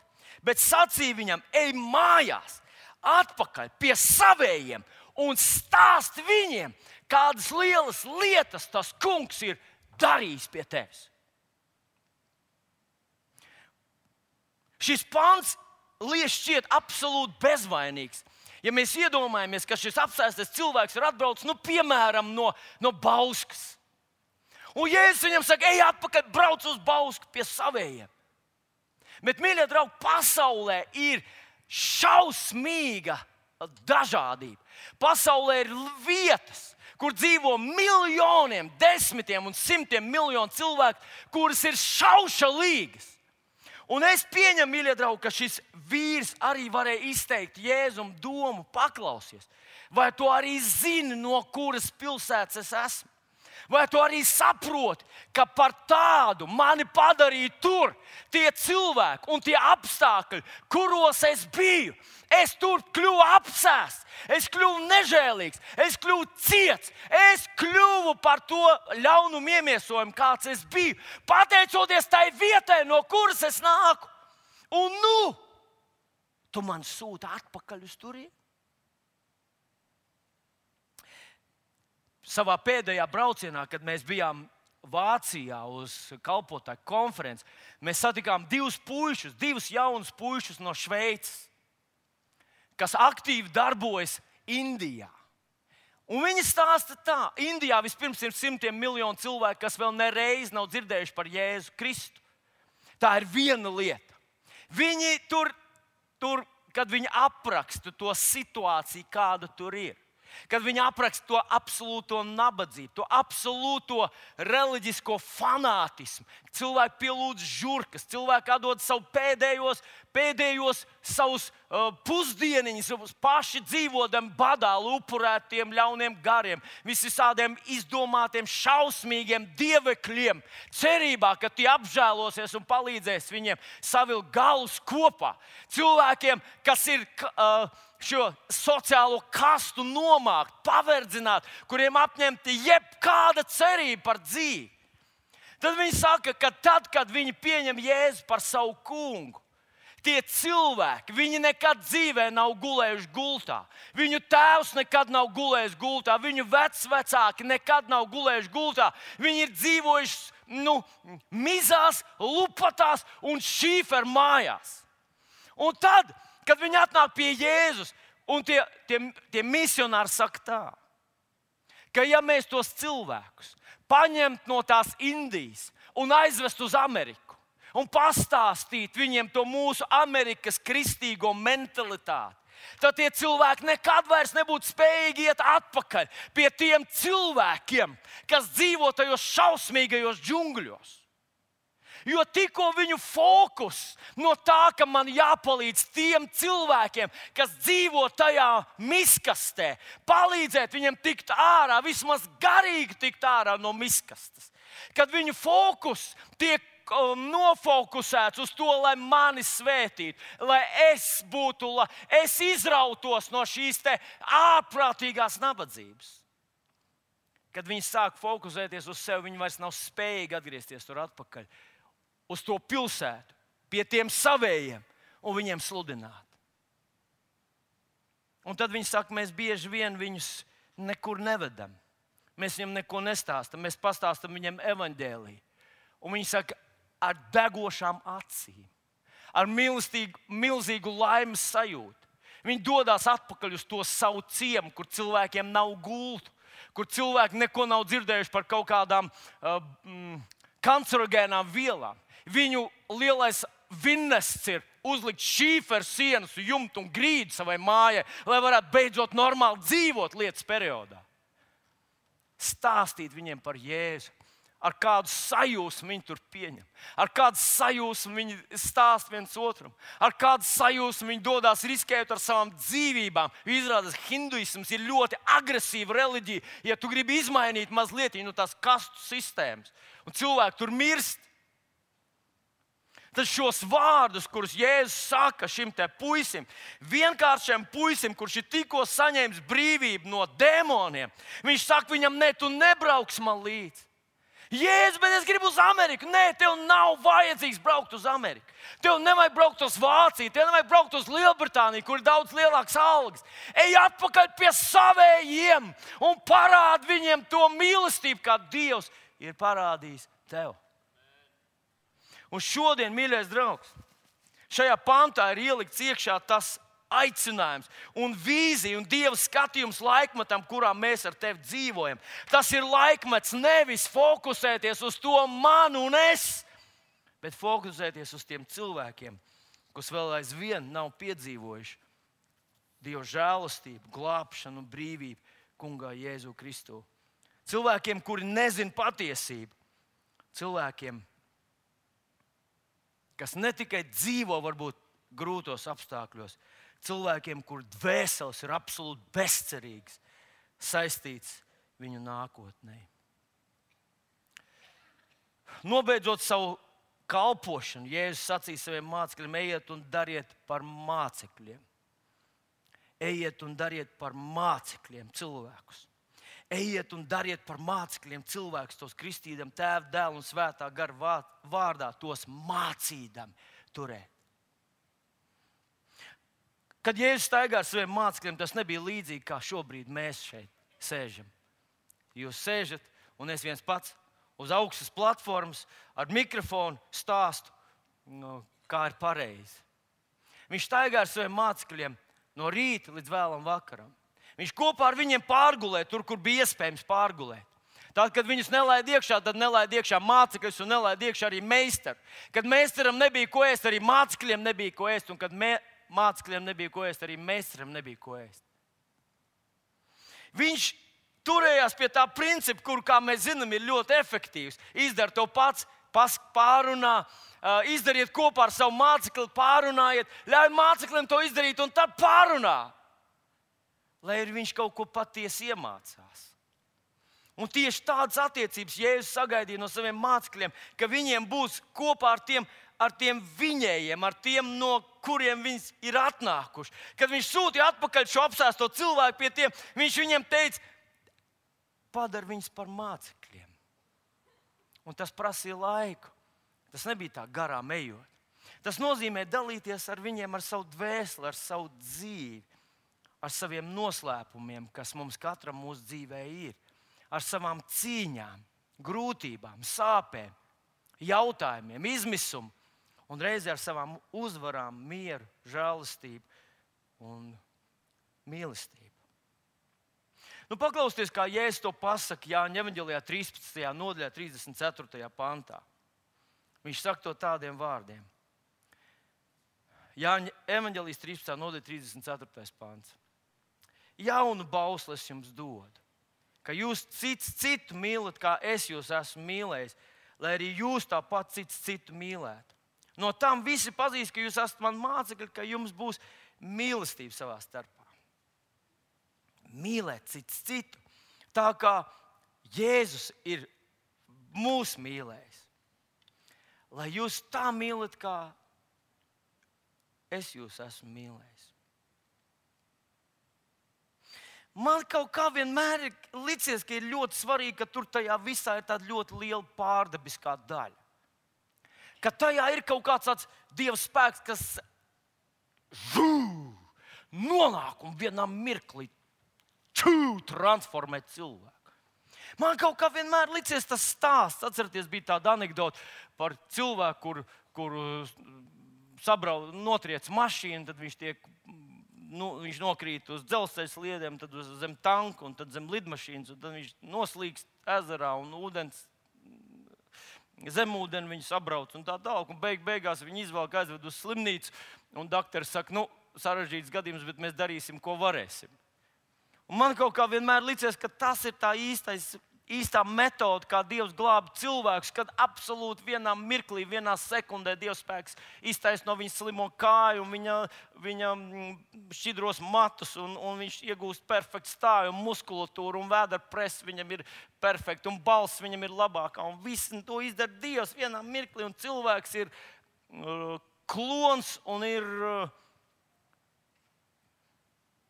bet sacīja viņam, ej mājās, atpakaļ pie savējiem un stāsti viņiem, kādas lielas lietas tas kungs ir darījis pie tevis. Šis pants liekas šķiet absolūti bezvainīgs. Ja mēs iedomājamies, ka šis apsēstais cilvēks ir atbraucis, nu, piemēram, no, no Bauskas. Un Jēzus viņam saka, ej atpakaļ, brauc uz Bausku pie savējiem. Bet, mīļie draugi, pasaulē ir šausmīga dažādība. Pasaulē ir vietas, kur dzīvo miljoniem, desmitiem un simtiem miljonu cilvēku, kuras ir šaušalīgas. Un es pieņemu, mīļie draugi, ka šis vīrs arī varēja izteikt Jēzum domu, paklausies. Vai tu arī zini, no kuras pilsētas es esmu? Vai tu arī saproti, ka par tādu mani padarīja tur tie cilvēki un tie apstākļi, kuros es biju? Es tur kļuvu apsēsts, es kļuvu nežēlīgs, es kļuvu ciets, es kļuvu par to ļaunumu iemiesojumu, kāds es biju, pateicoties tai vietai, no kuras es nāku. Un nu, tu man sūti atpakaļ uz turieni. Savā pēdējā braucienā, kad mēs bijām Vācijā uz kalpotāju konferenci, mēs satikām divus puišus, divus jaunus puišus no Šveices, kas aktīvi darbojas Indijā. Un viņi stāsta tā, Indijā vispirms ir simtiem miljonu cilvēku, kas vēl nereiz nav dzirdējuši par Jēzu Kristu. Tā ir viena lieta. Viņi tur, tur kad viņi apraksta to situāciju, kāda tur ir. Kad viņi apraksta to absolūto nabadzību, to absolūto reliģisko fanātismu. Cilvēki pielūdz žurkas, cilvēki atdod savu pēdējos, pēdējos savus uh, pusdieniņus, paši dzīvodami badā, upurētiem ļauniem gariem, visādiem izdomātiem, šausmīgiem dievekļiem, cerībā, ka tie apžēlosies un palīdzēs viņiem savilkt galus kopā. Cilvēkiem, kas ir uh, šo sociālo kastu nomākt, paverdzināt, kuriem apņemti jebkāda cerība par dzīvi. Tad viņi saka, ka tad, kad viņi pieņem Jēzu par savu kungu, tie cilvēki, viņi nekad dzīvē nav gulējuši gultā. Viņu tēvs nekad nav gulējis gultā, viņu vecvecāki nekad nav gulējuši gultā. Viņi ir dzīvojuši nu, mizās, lupatās un šīferu mājās. Un tad, kad viņi atnāk pie Jēzus, un tie, tie, tie misionāri saka tā, ka ja mēs tos cilvēkus paņemt no tās Indijas un aizvest uz Ameriku un pastāstīt viņiem to mūsu Amerikas kristīgo mentalitāti, tad tie cilvēki nekad vairs nebūtu spējīgi iet atpakaļ pie tiem cilvēkiem, kas dzīvo tajos šausmīgajos džungļos. Jo tikko viņu fokus no tā, ka man jāpalīdz tiem cilvēkiem, kas dzīvo tajā miskastē, palīdzēt viņiem tikt ārā, vismaz garīgi tikt ārā no miskastes. Kad viņu fokus tiek nofokusēts uz to, lai mani svētītu, lai es būtu, lai es izrautos no šīs te ārprātīgās nabadzības. Kad viņi sāk fokusēties uz sevi, viņi vairs nav spējīgi atgriezties tur atpakaļ. Uz to pilsētu, pie tiem savējiem un viņiem sludināt. Un tad viņi saka, mēs bieži vien viņus nekur nevedam. Mēs viņiem neko nestāstam, mēs pastāstam viņiem evaņģēliju. Un viņi saka, ar degošām acīm, ar milzīgu, milzīgu laimes sajūtu. Viņi dodas atpakaļ uz to savu ciemu, kur cilvēkiem nav gultu, kur cilvēki neko nav dzirdējuši par kaut kādām uh, mm, kancerogēnām vielām. Viņu lielais vinnests ir uzlikt šīferu sienas, jumtu un grīdu savai mājai, lai varētu beidzot normāli dzīvot lietas periodā. Stāstīt viņiem par Jēzu, ar kādu sajūsmu viņi tur pieņem, ar kādu sajūsmu viņi stāst viens otram, ar kādu sajūsmu viņi dodas riskējot ar savām dzīvībām. Izrādās, hinduisms ir ļoti agresīva reliģija, ja tu gribi izmainīt mazliet no tās kastu sistēmas, un cilvēki tur mirst. Tad šos vārdus, kurus Jēzus saka šim te puisim, vienkāršiem puisim, kurš ir tikko saņēmis brīvību no dēmoniem, viņš saka viņam, nē, tu nebrauks man līdzi. Jēzus, bet es gribu uz Ameriku. Nē, tev nav vajadzīgs braukt uz Ameriku. Tev nevajag braukt uz Vāciju, tev nevajag braukt uz Lielbritāniju, kur ir daudz lielāks algas. Ej atpakaļ pie savējiem un parādi viņiem to mīlestību, kā Dievs ir parādījis tev. Un šodien, mīļais draugs, šajā pantā ir ielikts iekšā tas aicinājums un vīzija un Dieva skatījums laikmetam, kurā mēs ar tevi dzīvojam. Tas ir laikmets nevis fokusēties uz to manu un es, bet fokusēties uz tiem cilvēkiem, kas vēl aizvien nav piedzīvojuši Dieva žēlastību, glābšanu un brīvību kungā Jēzu Kristu. Cilvēkiem, kuri nezin patiesību, cilvēkiem, kas ne tikai dzīvo varbūt grūtos apstākļos, cilvēkiem, kur dvēseles ir absolūti bezcerīgas, saistīts viņu nākotnē. Nobeidzot savu kalpošanu, Jēzus sacīja saviem mācekļiem, ejiet un dariet par mācekļiem. Ejiet un dariet par mācekļiem cilvēkus. Ejiet un dariet par mācekļiem cilvēkus, tos kristīdam Tēva, Dēla un Svētā gara vārdā, tos mācīdam turēt. Kad Jēzus staigā ar saviem mācekļiem, tas nebija līdzīgi, kā šobrīd mēs šeit sēžam. Jūs sēžat un es viens pats uz augstas platformas ar mikrofonu stāstu, no, kā ir pareizi. Viņš staigā ar saviem mācekļiem no rīta līdz vēlam vakaram. Viņš kopā ar viņiem pārgulēja tur, kur bija iespējams pārgulēt. Tad, kad viņus nelaid iekšā, tad nelaid iekšā mācekļus un nelaid iekšā arī meistaru. Kad meistaram nebija ko ēst, arī mācekļiem nebija ko ēst. Un kad mē, mācekļiem nebija ko ēst, arī meistaram nebija ko ēst. Viņš turējās pie tā principa, kur, kā mēs zinām, ir ļoti efektīvs. Izdara to pats, pārunā, izdariet kopā ar savu mācekli, pārunājiet, ļauj māceklim to izdarīt un tad pārunā. Lai arī viņš kaut ko patiesi iemācās. Un tieši tādas attiecības Jēzus sagaidīja no saviem mācekļiem, ka viņiem būs kopā ar tiem, ar tiem viņējiem, ar tiem, no kuriem viņi ir atnākuši. Kad viņš sūtīja atpakaļ šo apsēsto cilvēku pie tiem, viņš viņiem teica, padar viņus par mācekļiem. Un tas prasīja laiku. Tas nebija tā garām ejot. Tas nozīmē dalīties ar viņiem, ar savu dvēseli, ar savu dzīvi, ar saviem noslēpumiem, kas mums katram mūsu dzīvē ir. Ar savām cīņām, grūtībām, sāpēm, jautājumiem, izmisumu un reizē ar savām uzvarām, mieru, žēlastību un mīlestību. Nu, paklausieties, kā Jēzus to pasaka Jāņa evaņģēlijā trīspadsmitajā nodaļā, trīsdesmit ceturtajā pantā. Viņš saka to tādiem vārdiem. Jāņa evaņģēlijas trīspadsmitā nodaļa, trīsdesmit ceturtais pants. Jaunu bausli es jums dodu, ka jūs cits citu mīlat, kā es jūs esmu mīlējis, lai arī jūs tāpat cits citu mīlētu. No tam visi pazīst, ka jūs esat mani mācekļi, ka jums būs mīlestība savā starpā. Mīlēt cits citu, tā kā Jēzus ir mūs mīlējis. Lai jūs tā mīlat, kā es jūs esmu mīlējis. Man kaut kā vienmēr ir licies, ka ir ļoti svarīgi, ka tur tajā visā ir tāda ļoti liela pārdabiskā daļa. Ka tajā ir kaut kāds tāds Dieva spēks, kas žū, nonāk un vienā mirklī čū, transformē cilvēku. Man kaut kā vienmēr licies tas stāsts. Atcerieties, bija tāda anekdote par cilvēku, kur, kur sabrauc, notriec mašīnu, tad viņš tiek... Nu, viņš nokrīt uz dzelzceļa sliedēm, tad uz zem tanka un tad zem lidmašīnas. Tad viņš noslīkst ezerā un ūdens, zemūdeni viņu sabrauc un tā tālāk. Un beig, beigās viņi izvelk aizved uz slimnīcu. Un doktori saka, nu, sarežģīts gadījums, bet mēs darīsim, ko varēsim. Un man kaut kā vienmēr licies, ka tas ir tā īstais, īstā metode, kā Dievs glāb cilvēkus, kad absolūti vienā mirklī, vienā sekundē Dievs spēks iztaisno viņa slimo kāju un viņa, viņa šķidros matus, un, un viņš iegūst perfektu stāju un muskulatūru, un vēdera press viņam ir perfekta, un balss viņam ir labākā, un viss to izdara Dievs vienā mirklī, un cilvēks ir uh, klons un ir uh,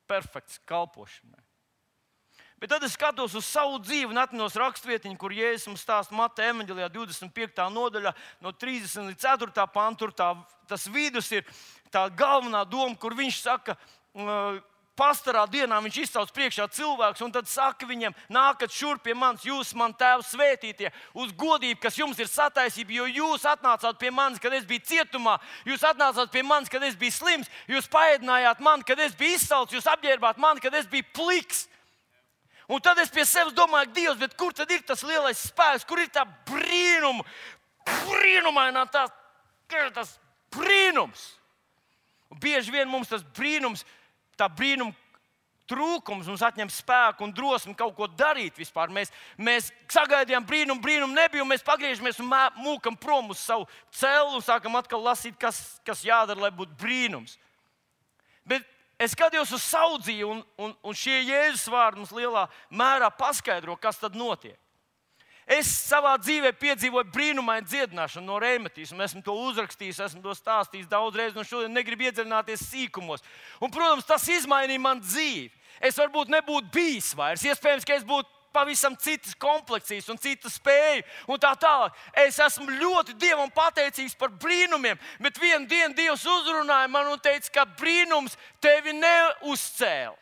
perfekts kalpošanai. Bet tad es skatos uz savu dzīvi un atminos rakstvietiņu, kur Jēzus mums stāsta Mateja evaņģēlijā divdesmit piektajā nodaļā no trīsdesmit līdz ceturtajam pantam. Tā, tas vidus ir tā galvenā doma, kur viņš saka, pastarā dienā viņš izsauc priekšā cilvēkus un tad saka viņiem, nākat šurp pie manis, jūs man Tēvs svētītie, uz godību, kas jums ir sataisība, jo jūs atnācāt pie manis, kad es biju cietumā, jūs atnācāt pie manis, kad es biju slims, jūs paēdinājāt mani, kad es biju izsalcis, jūs apģērbāt mani, kad es biju pliks. Un tad es pie sevis domāju, Dievs, bet kur tad ir tas lielais spēks, kur ir tā brīnuma, brīnumainā tā, tas brīnums. Un bieži vien mums tas brīnums, tā brīnuma trūkums mums atņem spēku un drosmi kaut ko darīt vispār. Mēs, mēs sagaidījām brīnumu, brīnumu nebija, un mēs pagriežamies un mūkam prom uz savu celu un sākam atkal lasīt, kas, kas jādara, lai būtu brīnums. Bet es skatījos uz savu dzīvi, un, un, un šie Jēzus vārdi mums lielā mērā paskaidro, kas tad notiek. Es savā dzīvē piedzīvoju brīnumainu dziedināšanu no reimatisma. Esmu to uzrakstījis, esmu to stāstījis daudz reizes, un šodien negribu iedziļināties sīkumos. Un, protams, tas izmainīja man dzīvi. Es varbūt nebūtu bijis vairs. Iespējams, ka es būtu pavisam citas kompleksijas un citu spēju un tā tālāk. Es esmu ļoti Dievam pateicīgs par brīnumiem, bet vienu dienu Dievs uzrunāja man un teica, ka brīnums tevi neuzcēla.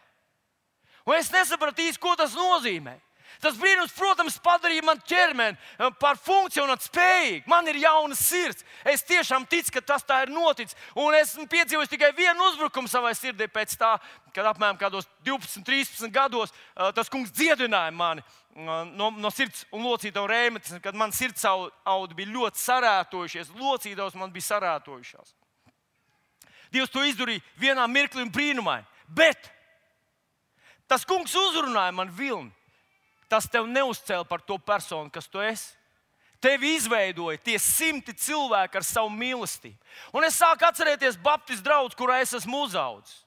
Un es nesapratu īsti, ko tas nozīmē. Tas brīnums, protams, padarīja man ķermeni par funkcionēt spējīgu. Man ir jauna sirds. Es tiešām ticu, ka tas tā ir noticis. Un esmu piedzīvojis tikai vienu uzbrukumu savai sirdī pēc tā, kad apmēram kādos divpadsmit, trīspadsmit gados tas kungs dziedināja mani no, no sirds un locītavu reimatismu, kad man sirds audi bija ļoti sarētojušies. Locītavas man bija sarētojušās. Dievs to izdarīja vienā mirklī un brīnumaini. Bet Tas kungs uzrunāja man vilni. Tas tev neuzcēla par to personu, kas tu esi. Tevi izveidoja tie simti cilvēki ar savu mīlestību. Un es sāku atcerēties Baptistu draugu, kurā es esmu uzaudzis.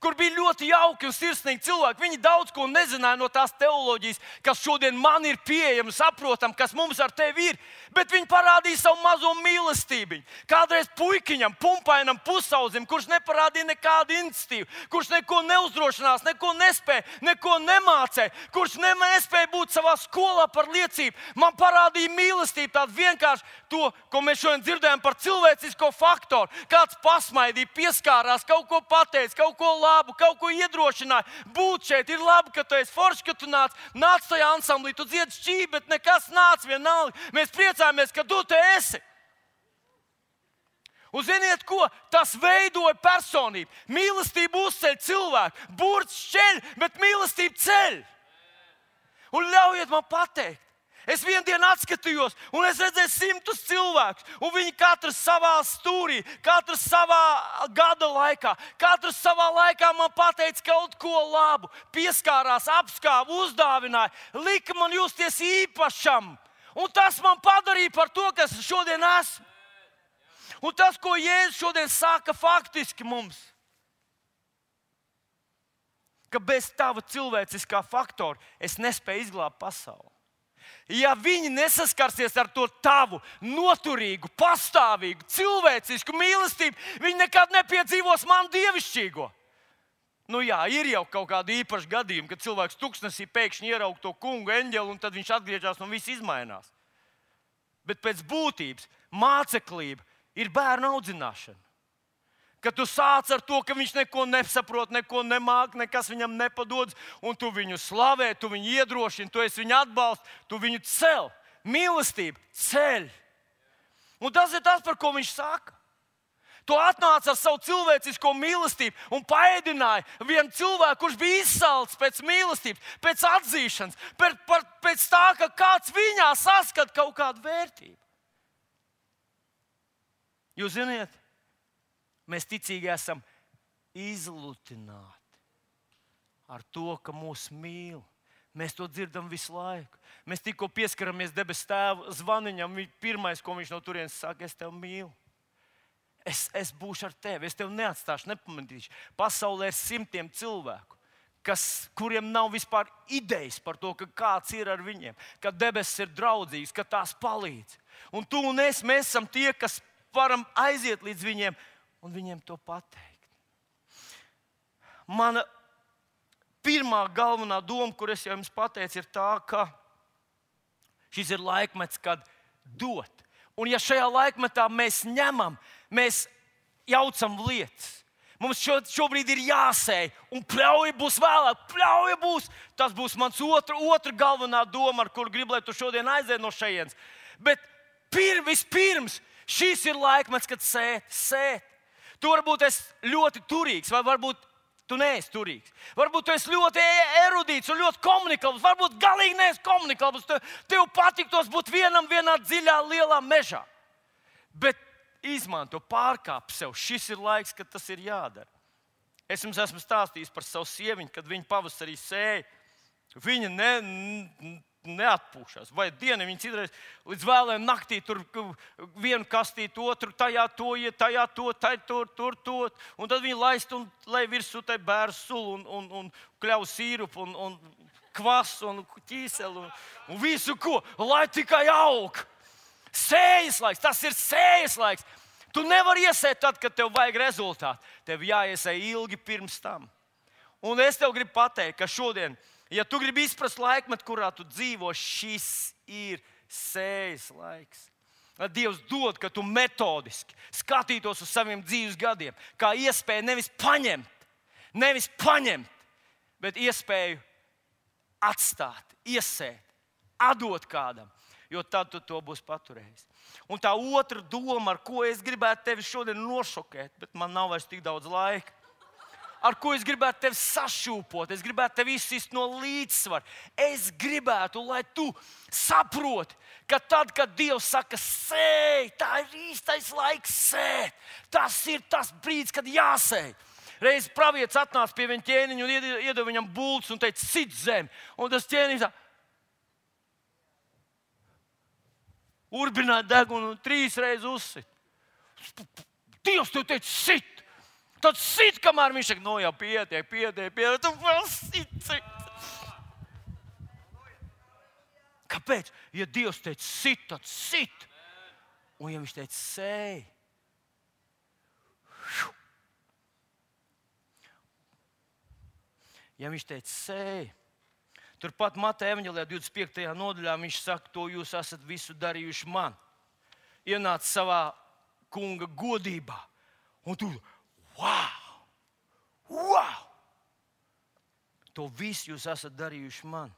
Kur bija ļoti jauki un sirsnīgi cilvēki. Viņi daudz ko nezināja no tās teoloģijas, kas šodien man ir pieejama, saprotam, kas mums ar tevi ir. Bet viņi parādīja savu mazo mīlestību. Kādreiz puikiņam, pumpainam, pusaudzim, kurš neparādīja nekādu iniciatīvu, kurš neko neuzdrošinās, neko nespēja, neko nemācēja, kurš ne, nespēja būt savā skolā par liecību. Man parādīja mīlestību, tādu vienkārši to, ko mēs šodien dzirdējām par cilvēcisko faktoru. Kāds pasmaidīja, pieskārās, kaut ko pateica, kaut ko labu, kaut ko iedrošināja. Būt šeit ir labi, ka tu esi forši, ka tu nāc, nāc tajā ansamblī, tu dziedi šķīvi, bet nekas nāc vienalga. Mēs priecājamies, ka tu te esi. Un ziniet ko? Tas veidoja personību. Mīlestība uzceļ cilvēku. Burts šķeļ, bet mīlestība ceļ. Un ļaujiet man pateikt. Es vienu dienu atskatījos, un es redzēju simtus cilvēkus, un viņi katrs savā stūrī, katrs savā gada laikā, katrs savā laikā man pateica kaut ko labu, pieskārās, apskāva, uzdāvināja, lika man justies īpašam. Un tas man padarīja par to, kas šodien esmu. Un tas, ko Jēzus šodien saka faktiski mums, ka bez tava cilvēciskā faktora es nespēju izglābt pasauli. Ja viņi nesaskarsies ar to tavu noturīgu, pastāvīgu, cilvēcisku mīlestību, viņi nekad nepiedzīvos manu dievišķīgo. Nu jā, ir jau kaut kādi īpaši gadījumi, kad cilvēks tuksnesī pēkšņi ieraug to kungu eņģeli, un tad viņš atgriežas un viss izmainās. Bet pēc būtības māceklība ir bērnu audzināšana. Kad tu sāc ar to, ka viņš neko nesaprot, neko nemāk, nekas viņam nepadodas, un tu viņu slavē, tu viņu iedrošini, tu esi viņu atbalsts, tu viņu cel. Mīlestība ceļ. Un tas ir tas, par ko viņš saka. Tu atnāc ar savu cilvēcisko mīlestību un paēdināji vienu cilvēku, kurš bija izsalcis pēc mīlestības, pēc atzīšanas, pēc, pēc tā, ka kāds viņā saskat kaut kādu vērtību. Jūs ziniet, mēs ticīgi esam izlutināti ar to, ka mūs mīl. Mēs to dzirdam visu laiku. Mēs tikko pieskaramies debesu Tēva zvaniņam. Pirmais, ko viņš no turienes saka, es tevi mīlu. Es, es būšu ar tevi, es tevi neatstāšu, nepametīšu. Pasaulē ir simtiem cilvēku, kas, kuriem nav vispār idejas par to, ka kāds ir ar viņiem, ka debesis ir draudzīgs, ka tās palīdz. Un tu un es, mēs esam tie, kas varam aiziet līdz viņiem un viņiem to pateikt. Mana pirmā galvenā doma, kur es jau jums pateicu, ir tā, ka šis ir laikmets, kad dot. Un ja šajā laikmetā mēs ņemam, mēs jaucam lietas, mums šo, šobrīd ir jāsēj, un pļauja būs vēlāk, pļauja būs. Tas būs mans otra, otra galvenā doma, ar kuru gribu, lai tu šodien aiziet no šejienes. Bet pir, vispirms šis ir laikmets, kad sēt, sēt. Tu varbūt esi ļoti turīgs, vai varbūt tu neesi turīgs. Varbūt tu esi ļoti erudīts un ļoti komunikabls, varbūt galīgi neesi komunikabls. Tev, tev patiktos būt vienam vienā dziļā, lielā mežā. Bet izmanto, pārkāp sev. Šis ir laiks, kad tas ir jādara. Es jums esmu stāstījis par savu sieviņu, kad viņa pavasarī sēja. Viņa ne... ne neatpūšas. Vai diena viņa citreiz līdz vēlēm naktī tur vienu kastīt, otru tajā to, tajā to, tajā tur, tur, to. Un tad viņa laist un lai virsū tai bēru sulu un, un, un kļauj sīrupu un, un kvasu un ķīseli un, un visu ko, lai tikai aug. Sējas laiks, tas ir sējas laiks. Tu nevari iesēt tad, kad tev vajag rezultātu. Tev jāiesēj ilgi pirms tam. Un es tev gribu pateikt, ka šodien, ja tu gribi izprast laikmetu, kurā tu dzīvo, šis ir sējas laiks. Dievs dod, ka tu metodiski skatītos uz saviem dzīves gadiem, kā iespēju nevis paņemt, nevis paņemt, bet iespēju atstāt, iesēt, atdot kādam, jo tad tu to būsi paturējis. Un tā otra doma, ar ko es gribētu tevi šodien nošokēt, bet man nav vairs tik daudz laika, ar ko es gribētu tevi sašūpot, es gribētu tevi izsist no līdzsvara. Es gribētu, lai tu saproti, ka tad, kad Dievs saka sēj, tā ir īstais laiks sēt. Tas ir tas brīdis, kad jāsēj. Reiz pravietis atnāca pie viņa ķēniņa un iedeva viņam bultus un teica, sit zem. Un tas ķēniņš tā urbināja degunu un trīs reizes uzsit. Dievs tev teica, sit! Tad sit, kamēr viņš saka, no jau pietiek, pietiek, pietiek, tu vēl sit, sit. Kāpēc? Ja Dievs teica, sit, tad sit. Un ja viņš teica, sēj. Ja viņš teica, sēj. Turpat Mateja evaņģēlijā divdesmit piektajā nodaļā viņš saka, to jūs esat visu darījuši man. Ienāc savā kunga godībā. Un tu, wow! Wow! To visu jūs esat darījuši man.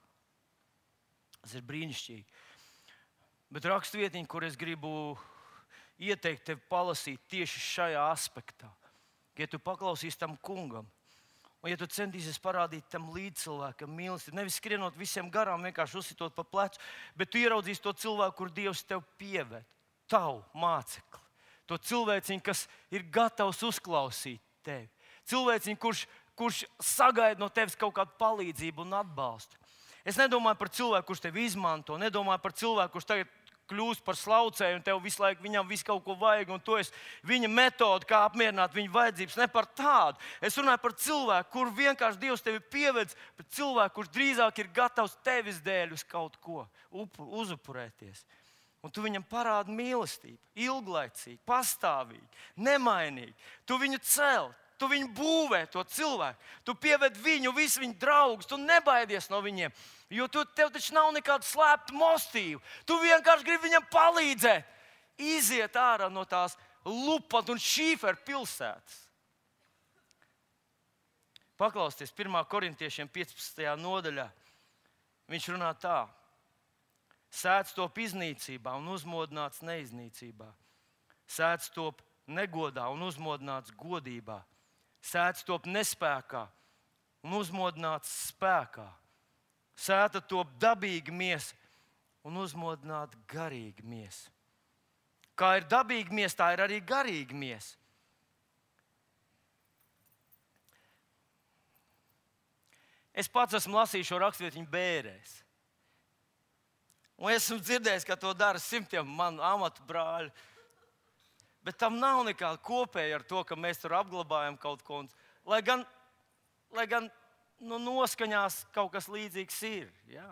Tas ir brīnišķīgi. Bet rakstvietiņa, kur es gribu ieteikt tev palasīt tieši šajā aspektā. Ja tu paklausīsi tam kungam, un ja tu centīsies parādīt tam līdzcilvēkam mīlestību, nevis skrienot visiem garām, vienkārši uzsitot pa plecu, bet tu ieraudzīsi to cilvēku, kur Dievs tev pieved, tavu mācekli. To cilvēciņu, kas ir gatavs uzklausīt tevi. Cilvēciņu, kurš, kurš sagaida no tevis kaut kādu palīdzību un atbalstu. Es nedomāju par cilvēku, kurš tevi izmanto, nedomāju par cilvēku, kurš tagad kļūst par slaucēju un tev visu laiku viņam visu kaut ko vajag, un to es viņa metodi, kā apmierināt viņa vajadzības, ne par tādu. Es runāju par cilvēku, kur vienkārši Dievs tevi pievedz, bet cilvēku, kurš drīzāk ir gatavs tevis dēļ uz kaut ko uzupurēties. Un tu viņam parādi mīlestību, ilglaicīgi, pastāvīgi, nemainīgi. Tu viņu cel, tu viņu būvē, to cilvēku. Tu pieved viņu, visu viņu draugus, tu nebaidies no viņiem. Jo tu, tev taču nav nekāda slēpta motīva. Tu vienkārši gribi viņam palīdzēt. Iziet ārā no tās lupat un šīferu pilsētas. Paklausieties, pirmā korintiešiem piecpadsmitajā nodaļā. Viņš runā tā. Sēdz top iznīcībā un uzmodināts neiznīcībā. Sēdz top negodā un uzmodināts godībā. Sēdz top nespēkā un uzmodināts spēkā. Sēta top dabīga miesa un uzmodināta garīga miesa. Kā ir dabīga miesa, tā ir arī garīga miesa. Es pats esmu lasījis šo rakstvietiņu bērēs. Un esmu dzirdējis, ka to dara simtiem manu amatu brāļu. Bet tam nav nekāda kopēja ar to, ka mēs tur apglabājam kaut ko. Lai gan, lai gan nu, noskaņās kaut kas līdzīgs ir. Jā.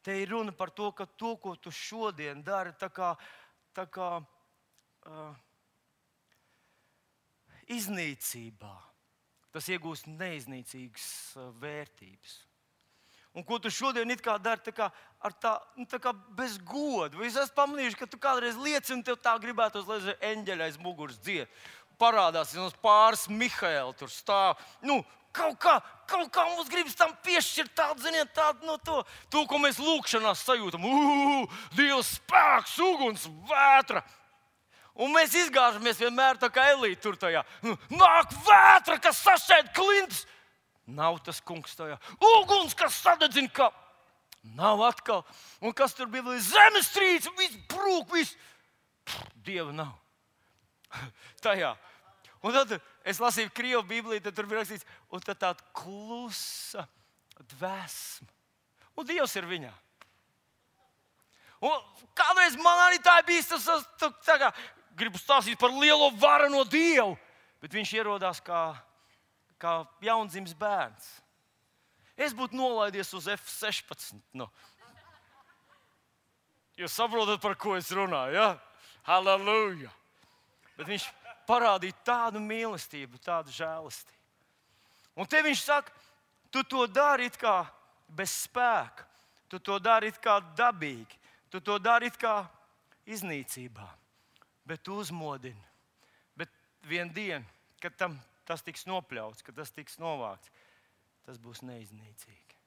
Te ir runa par to, ka to, ko tu šodien dari, tā kā, tā kā uh, iznīcībā, tas iegūst neiznīcīgas uh, vērtības. Un ko tu šodien it kā dari tā kā ar tā, nu, tā kā bez goda. Vai es esmu pamanījuši, ka tu kādreiz lieci un tev tā gribētos, lai eņģeļa aiz muguras dzied. Parādās mums pāris Mihaēli tur stāv. Nu, kaut kā, kaut kā mums gribas tam piešķirt tādu, ziniet, tādu no to. To, ko mēs lūkšanās sajūtam. Uu, Dieva spēks, uguns, vētra. Un mēs izgāžamies vienmēr tā kā Elīte tur tajā. Nāk vētra, kas sašķēd klintus. Nav tas kungs tajā. Uguns, kas sadedzina, ka nav atkal. Un kas tur bija? Zemestrīce, viss brūk, viss. Dieva nav. Tajā. Un tad es lasīju Krievu Bībelī, tad tur bija rakstīts, un tad tāda klusa dvēsma. Un Dievs ir viņā. Un kādreiz man arī tā bija, tas, tas tā kā, gribu stāstīt par lielo varano Dievu, bet viņš ierodās kā kā jaundzimis bērns. Es būtu nolaidies uz F sešpadsmit. Nu. Jūs saprotat, par ko es runāju, ja? Halleluja! Bet viņš parādīja tādu mīlestību, tādu žēlastību. Un te viņš saka, tu to dari it kā bez spēka, tu to dari it kā dabīgi, tu to dari it kā iznīcībā, bet tu uzmodini. Bet vien dienu, kad tam tas tiks nopļauts, kad tas tiks novākts, tas būs neiznīcīgi.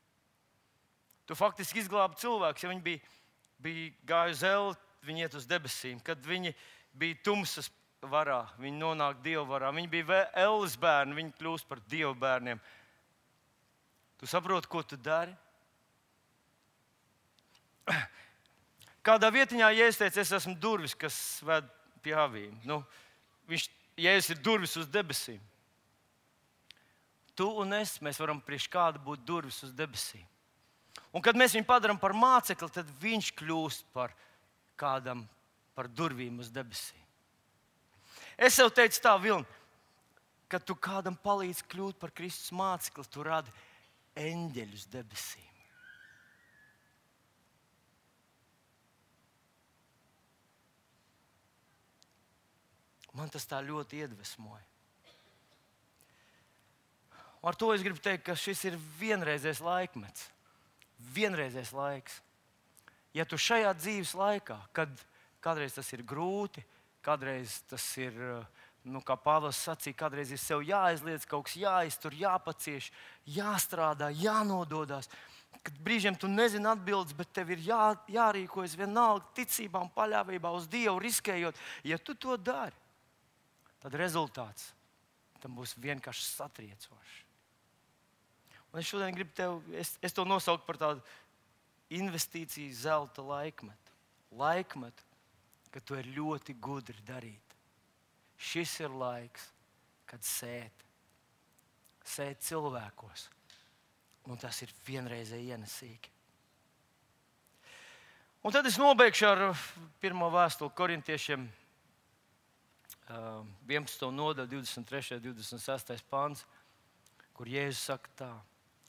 Tu faktiski izglābi cilvēkus, ja viņi bija, bija gāju zelti, viņi iet uz debesīm. Kad viņi bija tumsas varā, viņi nonāk Dieva varā. Viņi bija elles bērni, viņi kļūst par Dieva bērniem. Tu saproti, ko tu dari? Kādā vietiņā, ja es teicu, es esmu durvis, kas ved pie avīm. Nu, viņš Jēzus ir durvis uz debesīm. Tu un es, mēs varam priekš kāda būt durvis uz debesīm. Un kad mēs viņu padarām par mācekli, tad viņš kļūst par kādam, par durvīm uz debesīm. Es sev teicu tā, Vilni, kad tu kādam palīdzi kļūt par Kristus mācekli, tu radi eņģeļus debesīm. Man tas tā ļoti iedvesmoja. Ar to es gribu teikt, ka šis ir vienreizējs laikmets. Vienreizējs laiks. Ja tu šajā dzīves laikā, kad kādreiz tas ir grūti, kādreiz tas ir, nu, kā Pāvils sacīja, kādreiz ir sev jāaizliedz, kaut kas jāiztur, jāpacieš, jāstrādā, jānododās. Kad brīžiem tu nezini atbildes, bet tev ir jā, jārīkojas vienalga ticībā un paļāvībā uz Dievu, riskējot. Ja tu to dari, tad rezultāts tam būs vienkārši satriecošs. Un es šodien gribu tev, es, es to nosauku par tādu investīciju zelta laikmetu. Laikmetu, kad to ir ļoti gudri darīt. Šis ir laiks, kad sēt. Sēt cilvēkos. Un tas ir vienreizēji ienesīgi. Un tad es nobeigšu ar pirmo vēstuli korintiešiem, vienpadsmito nodaļu, divdesmit trešais, divdesmit sestais pants, kur Jēzus saka tā,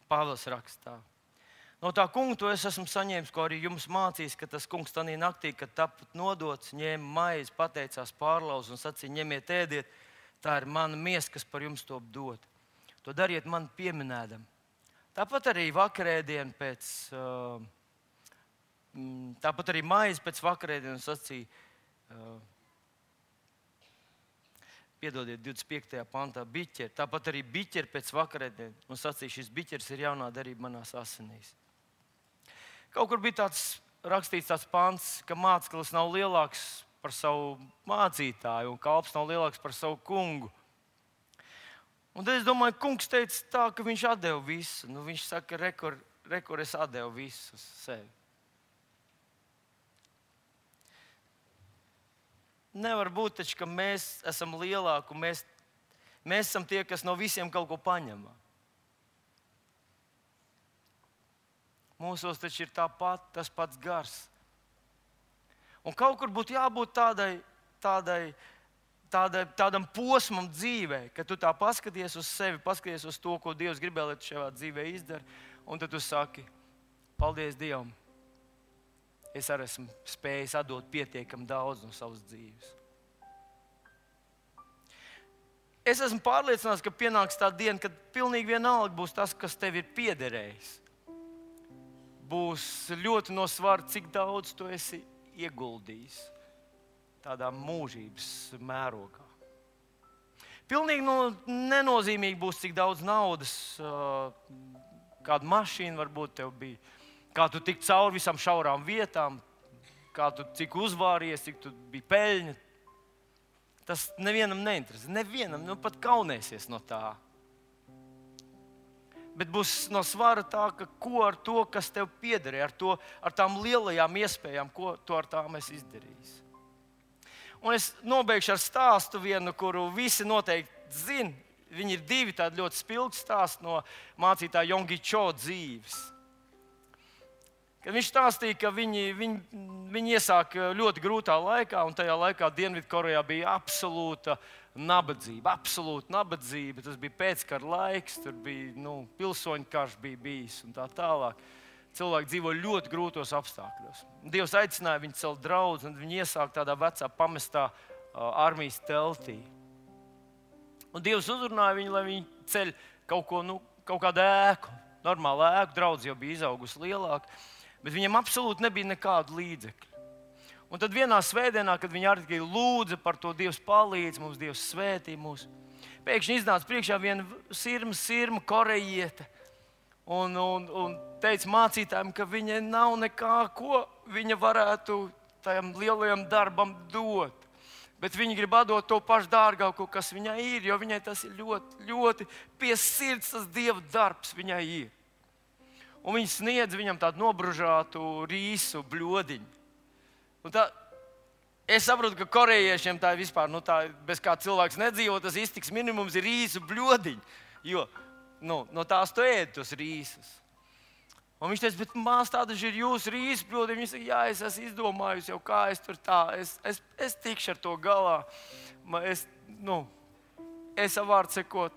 Pāvils raksta tā. No tā kunga to es esmu saņēmis, ko arī jums mācījis, ka tas kungs tanī naktī, kad tapat nodots, ņēma maizi, pateicās, pārlauz un sacīja, ņemiet, ēdiet, tā ir mana miesa, kas par jums top dot. To dariet man pieminēdam. Tāpat arī vakarēdienu pēc, tāpat arī maizi pēc vakarēdienu sacīja, piedodiet, divdesmit piektajā pantā, biķeri. Tāpat arī biķeri pēc vakarēdienas. Un sacīja, šis biķeris ir jaunā darība manās asinīs. Kaut kur bija tāds rakstīts tāds pants, ka māceklis nav lielāks par savu mācītāju un kalps nav lielāks par savu kungu. Un tad es domāju, kungs teica tā, ka viņš atdeva visu. Nu, viņš saka, rekur, rekur es atdevu visu uz sevi. Nevar būt taču, ka mēs esam lielāki un mēs, mēs esam tie, kas no visiem kaut ko paņem. Mūsos taču ir tāpat, tas pats gars. Un kaut kur būtu jābūt tādai, tādai, tādai, tādam posmam dzīvē, ka tu tā paskaties uz sevi, paskaties uz to, ko Dievs gribēja, lai tu šajā dzīvē izdari, un tad tu saki, paldies Dievam. Es arī esmu spējis atdot pietiekami daudz no savas dzīves. Es esmu pārliecināts, ka pienāks tā diena, kad pilnīgi vienalga būs tas, kas tev ir piederējis. Būs ļoti no svara, cik daudz tu esi ieguldījis tādā mūžības mērogā. Pilnīgi no, nenozīmīgi būs, cik daudz naudas, kāda mašīna varbūt tev bija. Kā tu tik cauri visam šaurām vietām, kā tu cik uzvāries, cik tu biji peļņa. Tas nevienam neinteresē. Nevienam, nu pat kaunēsies no tā. Bet būs no svara tā, ka ko ar to, kas tev piederēja, ar, to, ar tām lielajām iespējām, ko tu ar tām esi izdarījis. Un es nobeigšu ar stāstu vienu, kuru visi noteikti zina. Viņi ir divi tādi ļoti spilgti stāsti no mācītāja Jongi Cho dzīves. Kad viņš stāstīja, ka viņi, viņi, viņi iesāka ļoti grūtā laikā, un tajā laikā Dienvidkorejā bija absolūta nabadzība. Absolūta nabadzība. Tas bija pēckara laiks, tur bija nu, pilsoņu karš bija bijis un tā tālāk. Cilvēki dzīvo ļoti grūtos apstākļos. Dievs aicināja viņu celt draudzi, un viņi iesāka tādā vecā pamestā uh, armijas teltī. Un Dievs uzrunāja viņu, lai viņi ceļ kaut, ko, nu, kaut kādu ēku. Normālu ēku, draudzi jau bija izaugusi lielāka. Bet viņam absolūti nebija nekādu līdzekļu. Un tad vienā svētdienā, kad viņi arī lūdza par to, Dievs palīdz mums, Dievs svētī mūs, pēkšņi iznāca priekšā viena sirma, sirma korejiete un, un, un teica mācītājiem, ka viņai nav nekā, ko viņa varētu tajam lielajam darbam dot. Bet viņi grib atdot to pašu dārgāko, kas viņai ir, jo viņai tas ir ļoti, ļoti pie sirds, tas Dieva darbs viņai ir. Un viņi sniedz viņam tādu nobružātu rīsu bļodiņu. Un tā, Es saprotu, ka korejiešiem tā ir vispār, nu tā, bez kā cilvēks nedzīvo, tas iztiks minimums ir rīsu bļodiņi. Jo nu, no tās tu ēd tos rīsus. Un viņš teica, bet mās tādas ir jūsu rīsu bļodiņi. Viņš saka, jā, es esmu izdomājusi jau, kā es tur tā, es, es, es tikšu ar to galā. Es, nu, es avārdu sekot,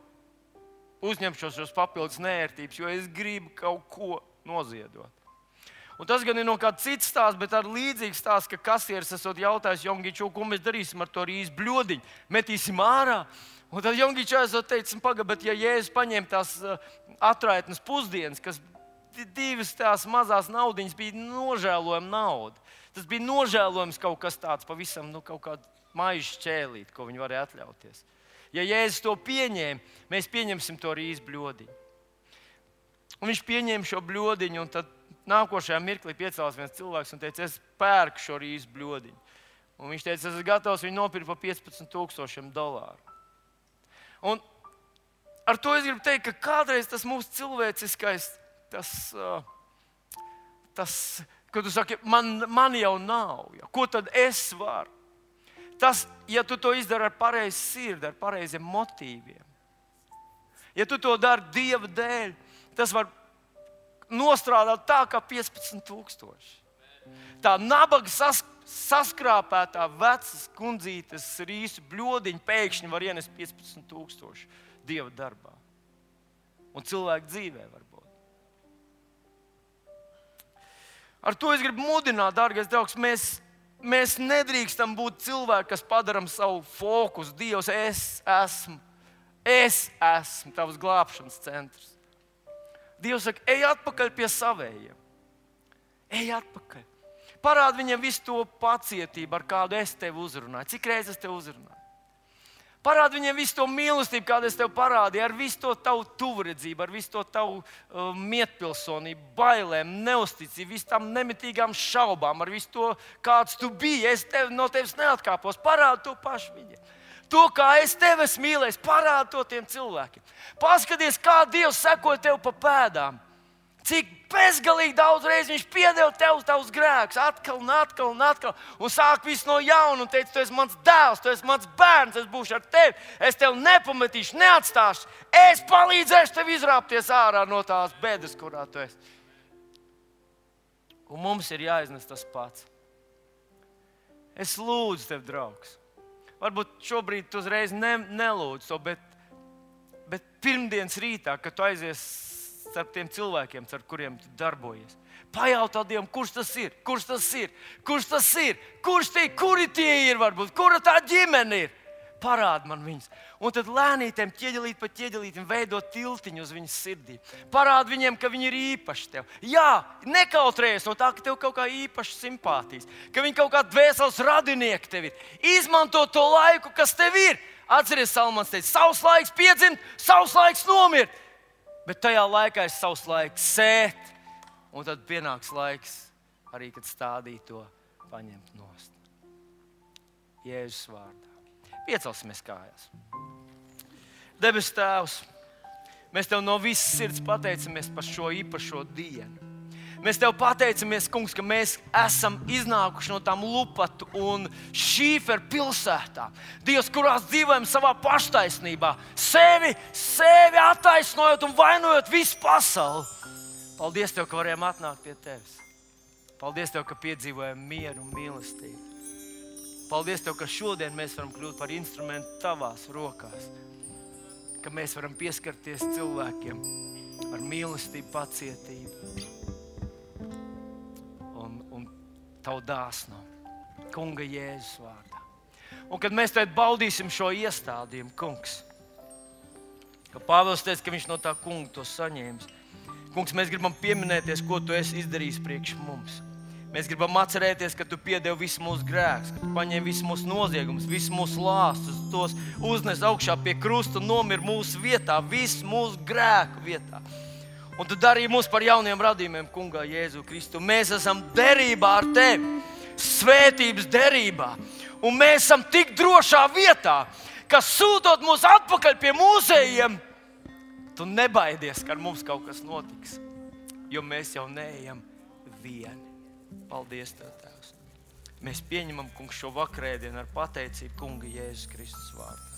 uzņemšos šos papildus nērtības, jo es gribu kaut ko noziedot. Un tas gan ir no kāda cita stāsta, bet ar līdzīgu stāstu, ka kasieris esot jautājis Jongiču, ko mēs darīsim ar to rīsu bļodiņu, metīsim ārā. Un tad Jongiču esot teicis, paga, bet ja Jēzus paņem tās atraitnes pusdienas, kas divas tās mazās naudiņas bija nožēlojama nauda. Tas bija nožēlojams kaut kas tāds pavisam, nu kaut kāda maiža šķēlīt, ko viņi varēja atļauties. Ja Jēzus to pieņēma, mēs pieņemsim to rīsu bļodiņu. Un viņš pieņēma šo bļodiņu, un tad nākošajā mirklī piecēlās viens cilvēks un teica, es pērku šo rīsu bļodiņu. Un viņš teica, es esmu gatavs viņu nopirkt par piecpadsmit tūkstošiem dolāru. Un ar to es gribu teikt, ka kādreiz tas mūsu cilvēciskais, tas, tas kad tu saki, man, man jau nav, ja, ko tad es varu? Tas, ja tu to izdari ar pareizu sirdi, ar pareiziem motīviem, ja tu to dari Dieva dēļ, tas var nostrādāt tā kā piecpadsmit tūkstoši. Tā nabaga sas, saskrāpētā vecas kundzītes rīsu bļodiņa pēkšņi var ienest piecpadsmit tūkstoši Dieva darbā. Un cilvēku dzīvē varbūt. Ar to es gribu mudināt, dārgais draugs, mēs, mēs nedrīkstam būt cilvēki, kas padaram savu fokusu. Dievs, es esmu, es esmu tavs glābšanas centrs. Dievs saka, ej atpakaļ pie savējiem. Ej atpakaļ. Parādi viņiem visu to pacietību, ar kādu es tevi uzrunāju. Cik reizes es tevi uzrunāju? Parādi viņiem visu to mīlestību, kādu es tev parādīju, ar visu to tavu tuvredzību, ar visu to tavu uh, mietpilsonību, bailēm, neusticību, visu tām nemitīgām šaubām, ar visu to, kāds tu biji. Es tev, no tevis neatkāpos. Parādi to pašu viņiem. To, kā es tevi esmu mīlējis, parādi to tiem cilvēkiem. Paskaties, kā Dievs sekoja tev pa pēdām. Cik bezgalīgi daudz reizi viņš piedeva tev tavus grēkus, atkal un atkal un atkal. Un sāk visu no jauna un teica, tu esi mans dēls, tu esi mans bērns, es būšu ar tevi. Es tevi nepametīšu, neatstāšu. Es palīdzēšu tev izrāpties ārā no tās bēdas, kurā tu esi. Un mums ir jāiznes tas pats. Es lūdzu tev, draugs. Varbūt šobrīd tu uzreiz ne, nelūdz to, bet, bet pirmdienas rītā, kad tu aizies starp tiem cilvēkiem, ar kuriem tu darbojies, pajautā Dievam, kurš tas ir, kurš tas ir, kurš tas ir, kurš tie, kuri tie ir varbūt, kura tā ģimene ir. Parādi man viņus. Un tad lēnītēm, ķieģelīt pa ķieģelītim, veidot tiltiņu uz viņas sirdī. Parādi viņiem, ka viņi ir īpaši tev. Jā, nekautrējies no tā, ka tev kaut kā īpaši simpātijas, ka viņi kaut kā dvēseles radinieki tev ir. Izmanto to laiku, kas tev ir. Atceries, Salmans teica, savs laiks piedzimt, savs laiks nomirt. Bet tajā laikā ir savs laiks sēt. Un tad pienāks laiks arī, kad stādīt to paņemt nost. Jēzus vārdā. Piecelsimies kājās. Debes Tēvs, mēs Tev no visas sirds pateicamies par šo īpašo dienu. Mēs Tev pateicamies, Kungs, ka mēs esam iznākuši no tām lupatu un šīferu pilsētām. Dievs, kurās dzīvojam savā paštaisnībā, sevi, sevi attaisnojot un vainojot visu pasauli. Paldies Tev, ka varējām atnākt pie Tevis. Paldies Tev, ka piedzīvojam mieru un mīlestību. Paldies Tev, ka šodien mēs varam kļūt par instrumentu Tavās rokās. Ka mēs varam pieskarties cilvēkiem ar mīlestību, pacietību un, un Tavu dāsnumu. Kunga Jēzus vārdā. Un kad mēs tagad baudīsim šo iestādījumu, Kungs, ka Pāvils teica, ka viņš no tā kunga to saņēmis. Kungs, mēs gribam pieminēties, ko Tu esi izdarījis priekš mums. Mēs gribam atcerēties, ka Tu piedevi visu mūsu grēkus, ka Tu paņēmi visu mūsu noziegumus, visu mūsu lāstus, tos uznes augšā pie krusta un nomir mūsu vietā, visu mūsu grēku vietā. Un Tu darīji mūs par jauniem radījumiem, Kungā Jēzu Kristu. Mēs esam derībā ar Tevi, svētības derībā. Un mēs esam tik drošā vietā, ka sūtot mūs atpakaļ pie mūsējiem, Tu nebaidies, ka ar mums kaut kas notiks, jo mēs jau neejam vieni. Paldies Tev, Tēvs. Mēs pieņemam, kungs, šo vakarēdienu ar pateicību kunga Jēzus Kristus vārdā.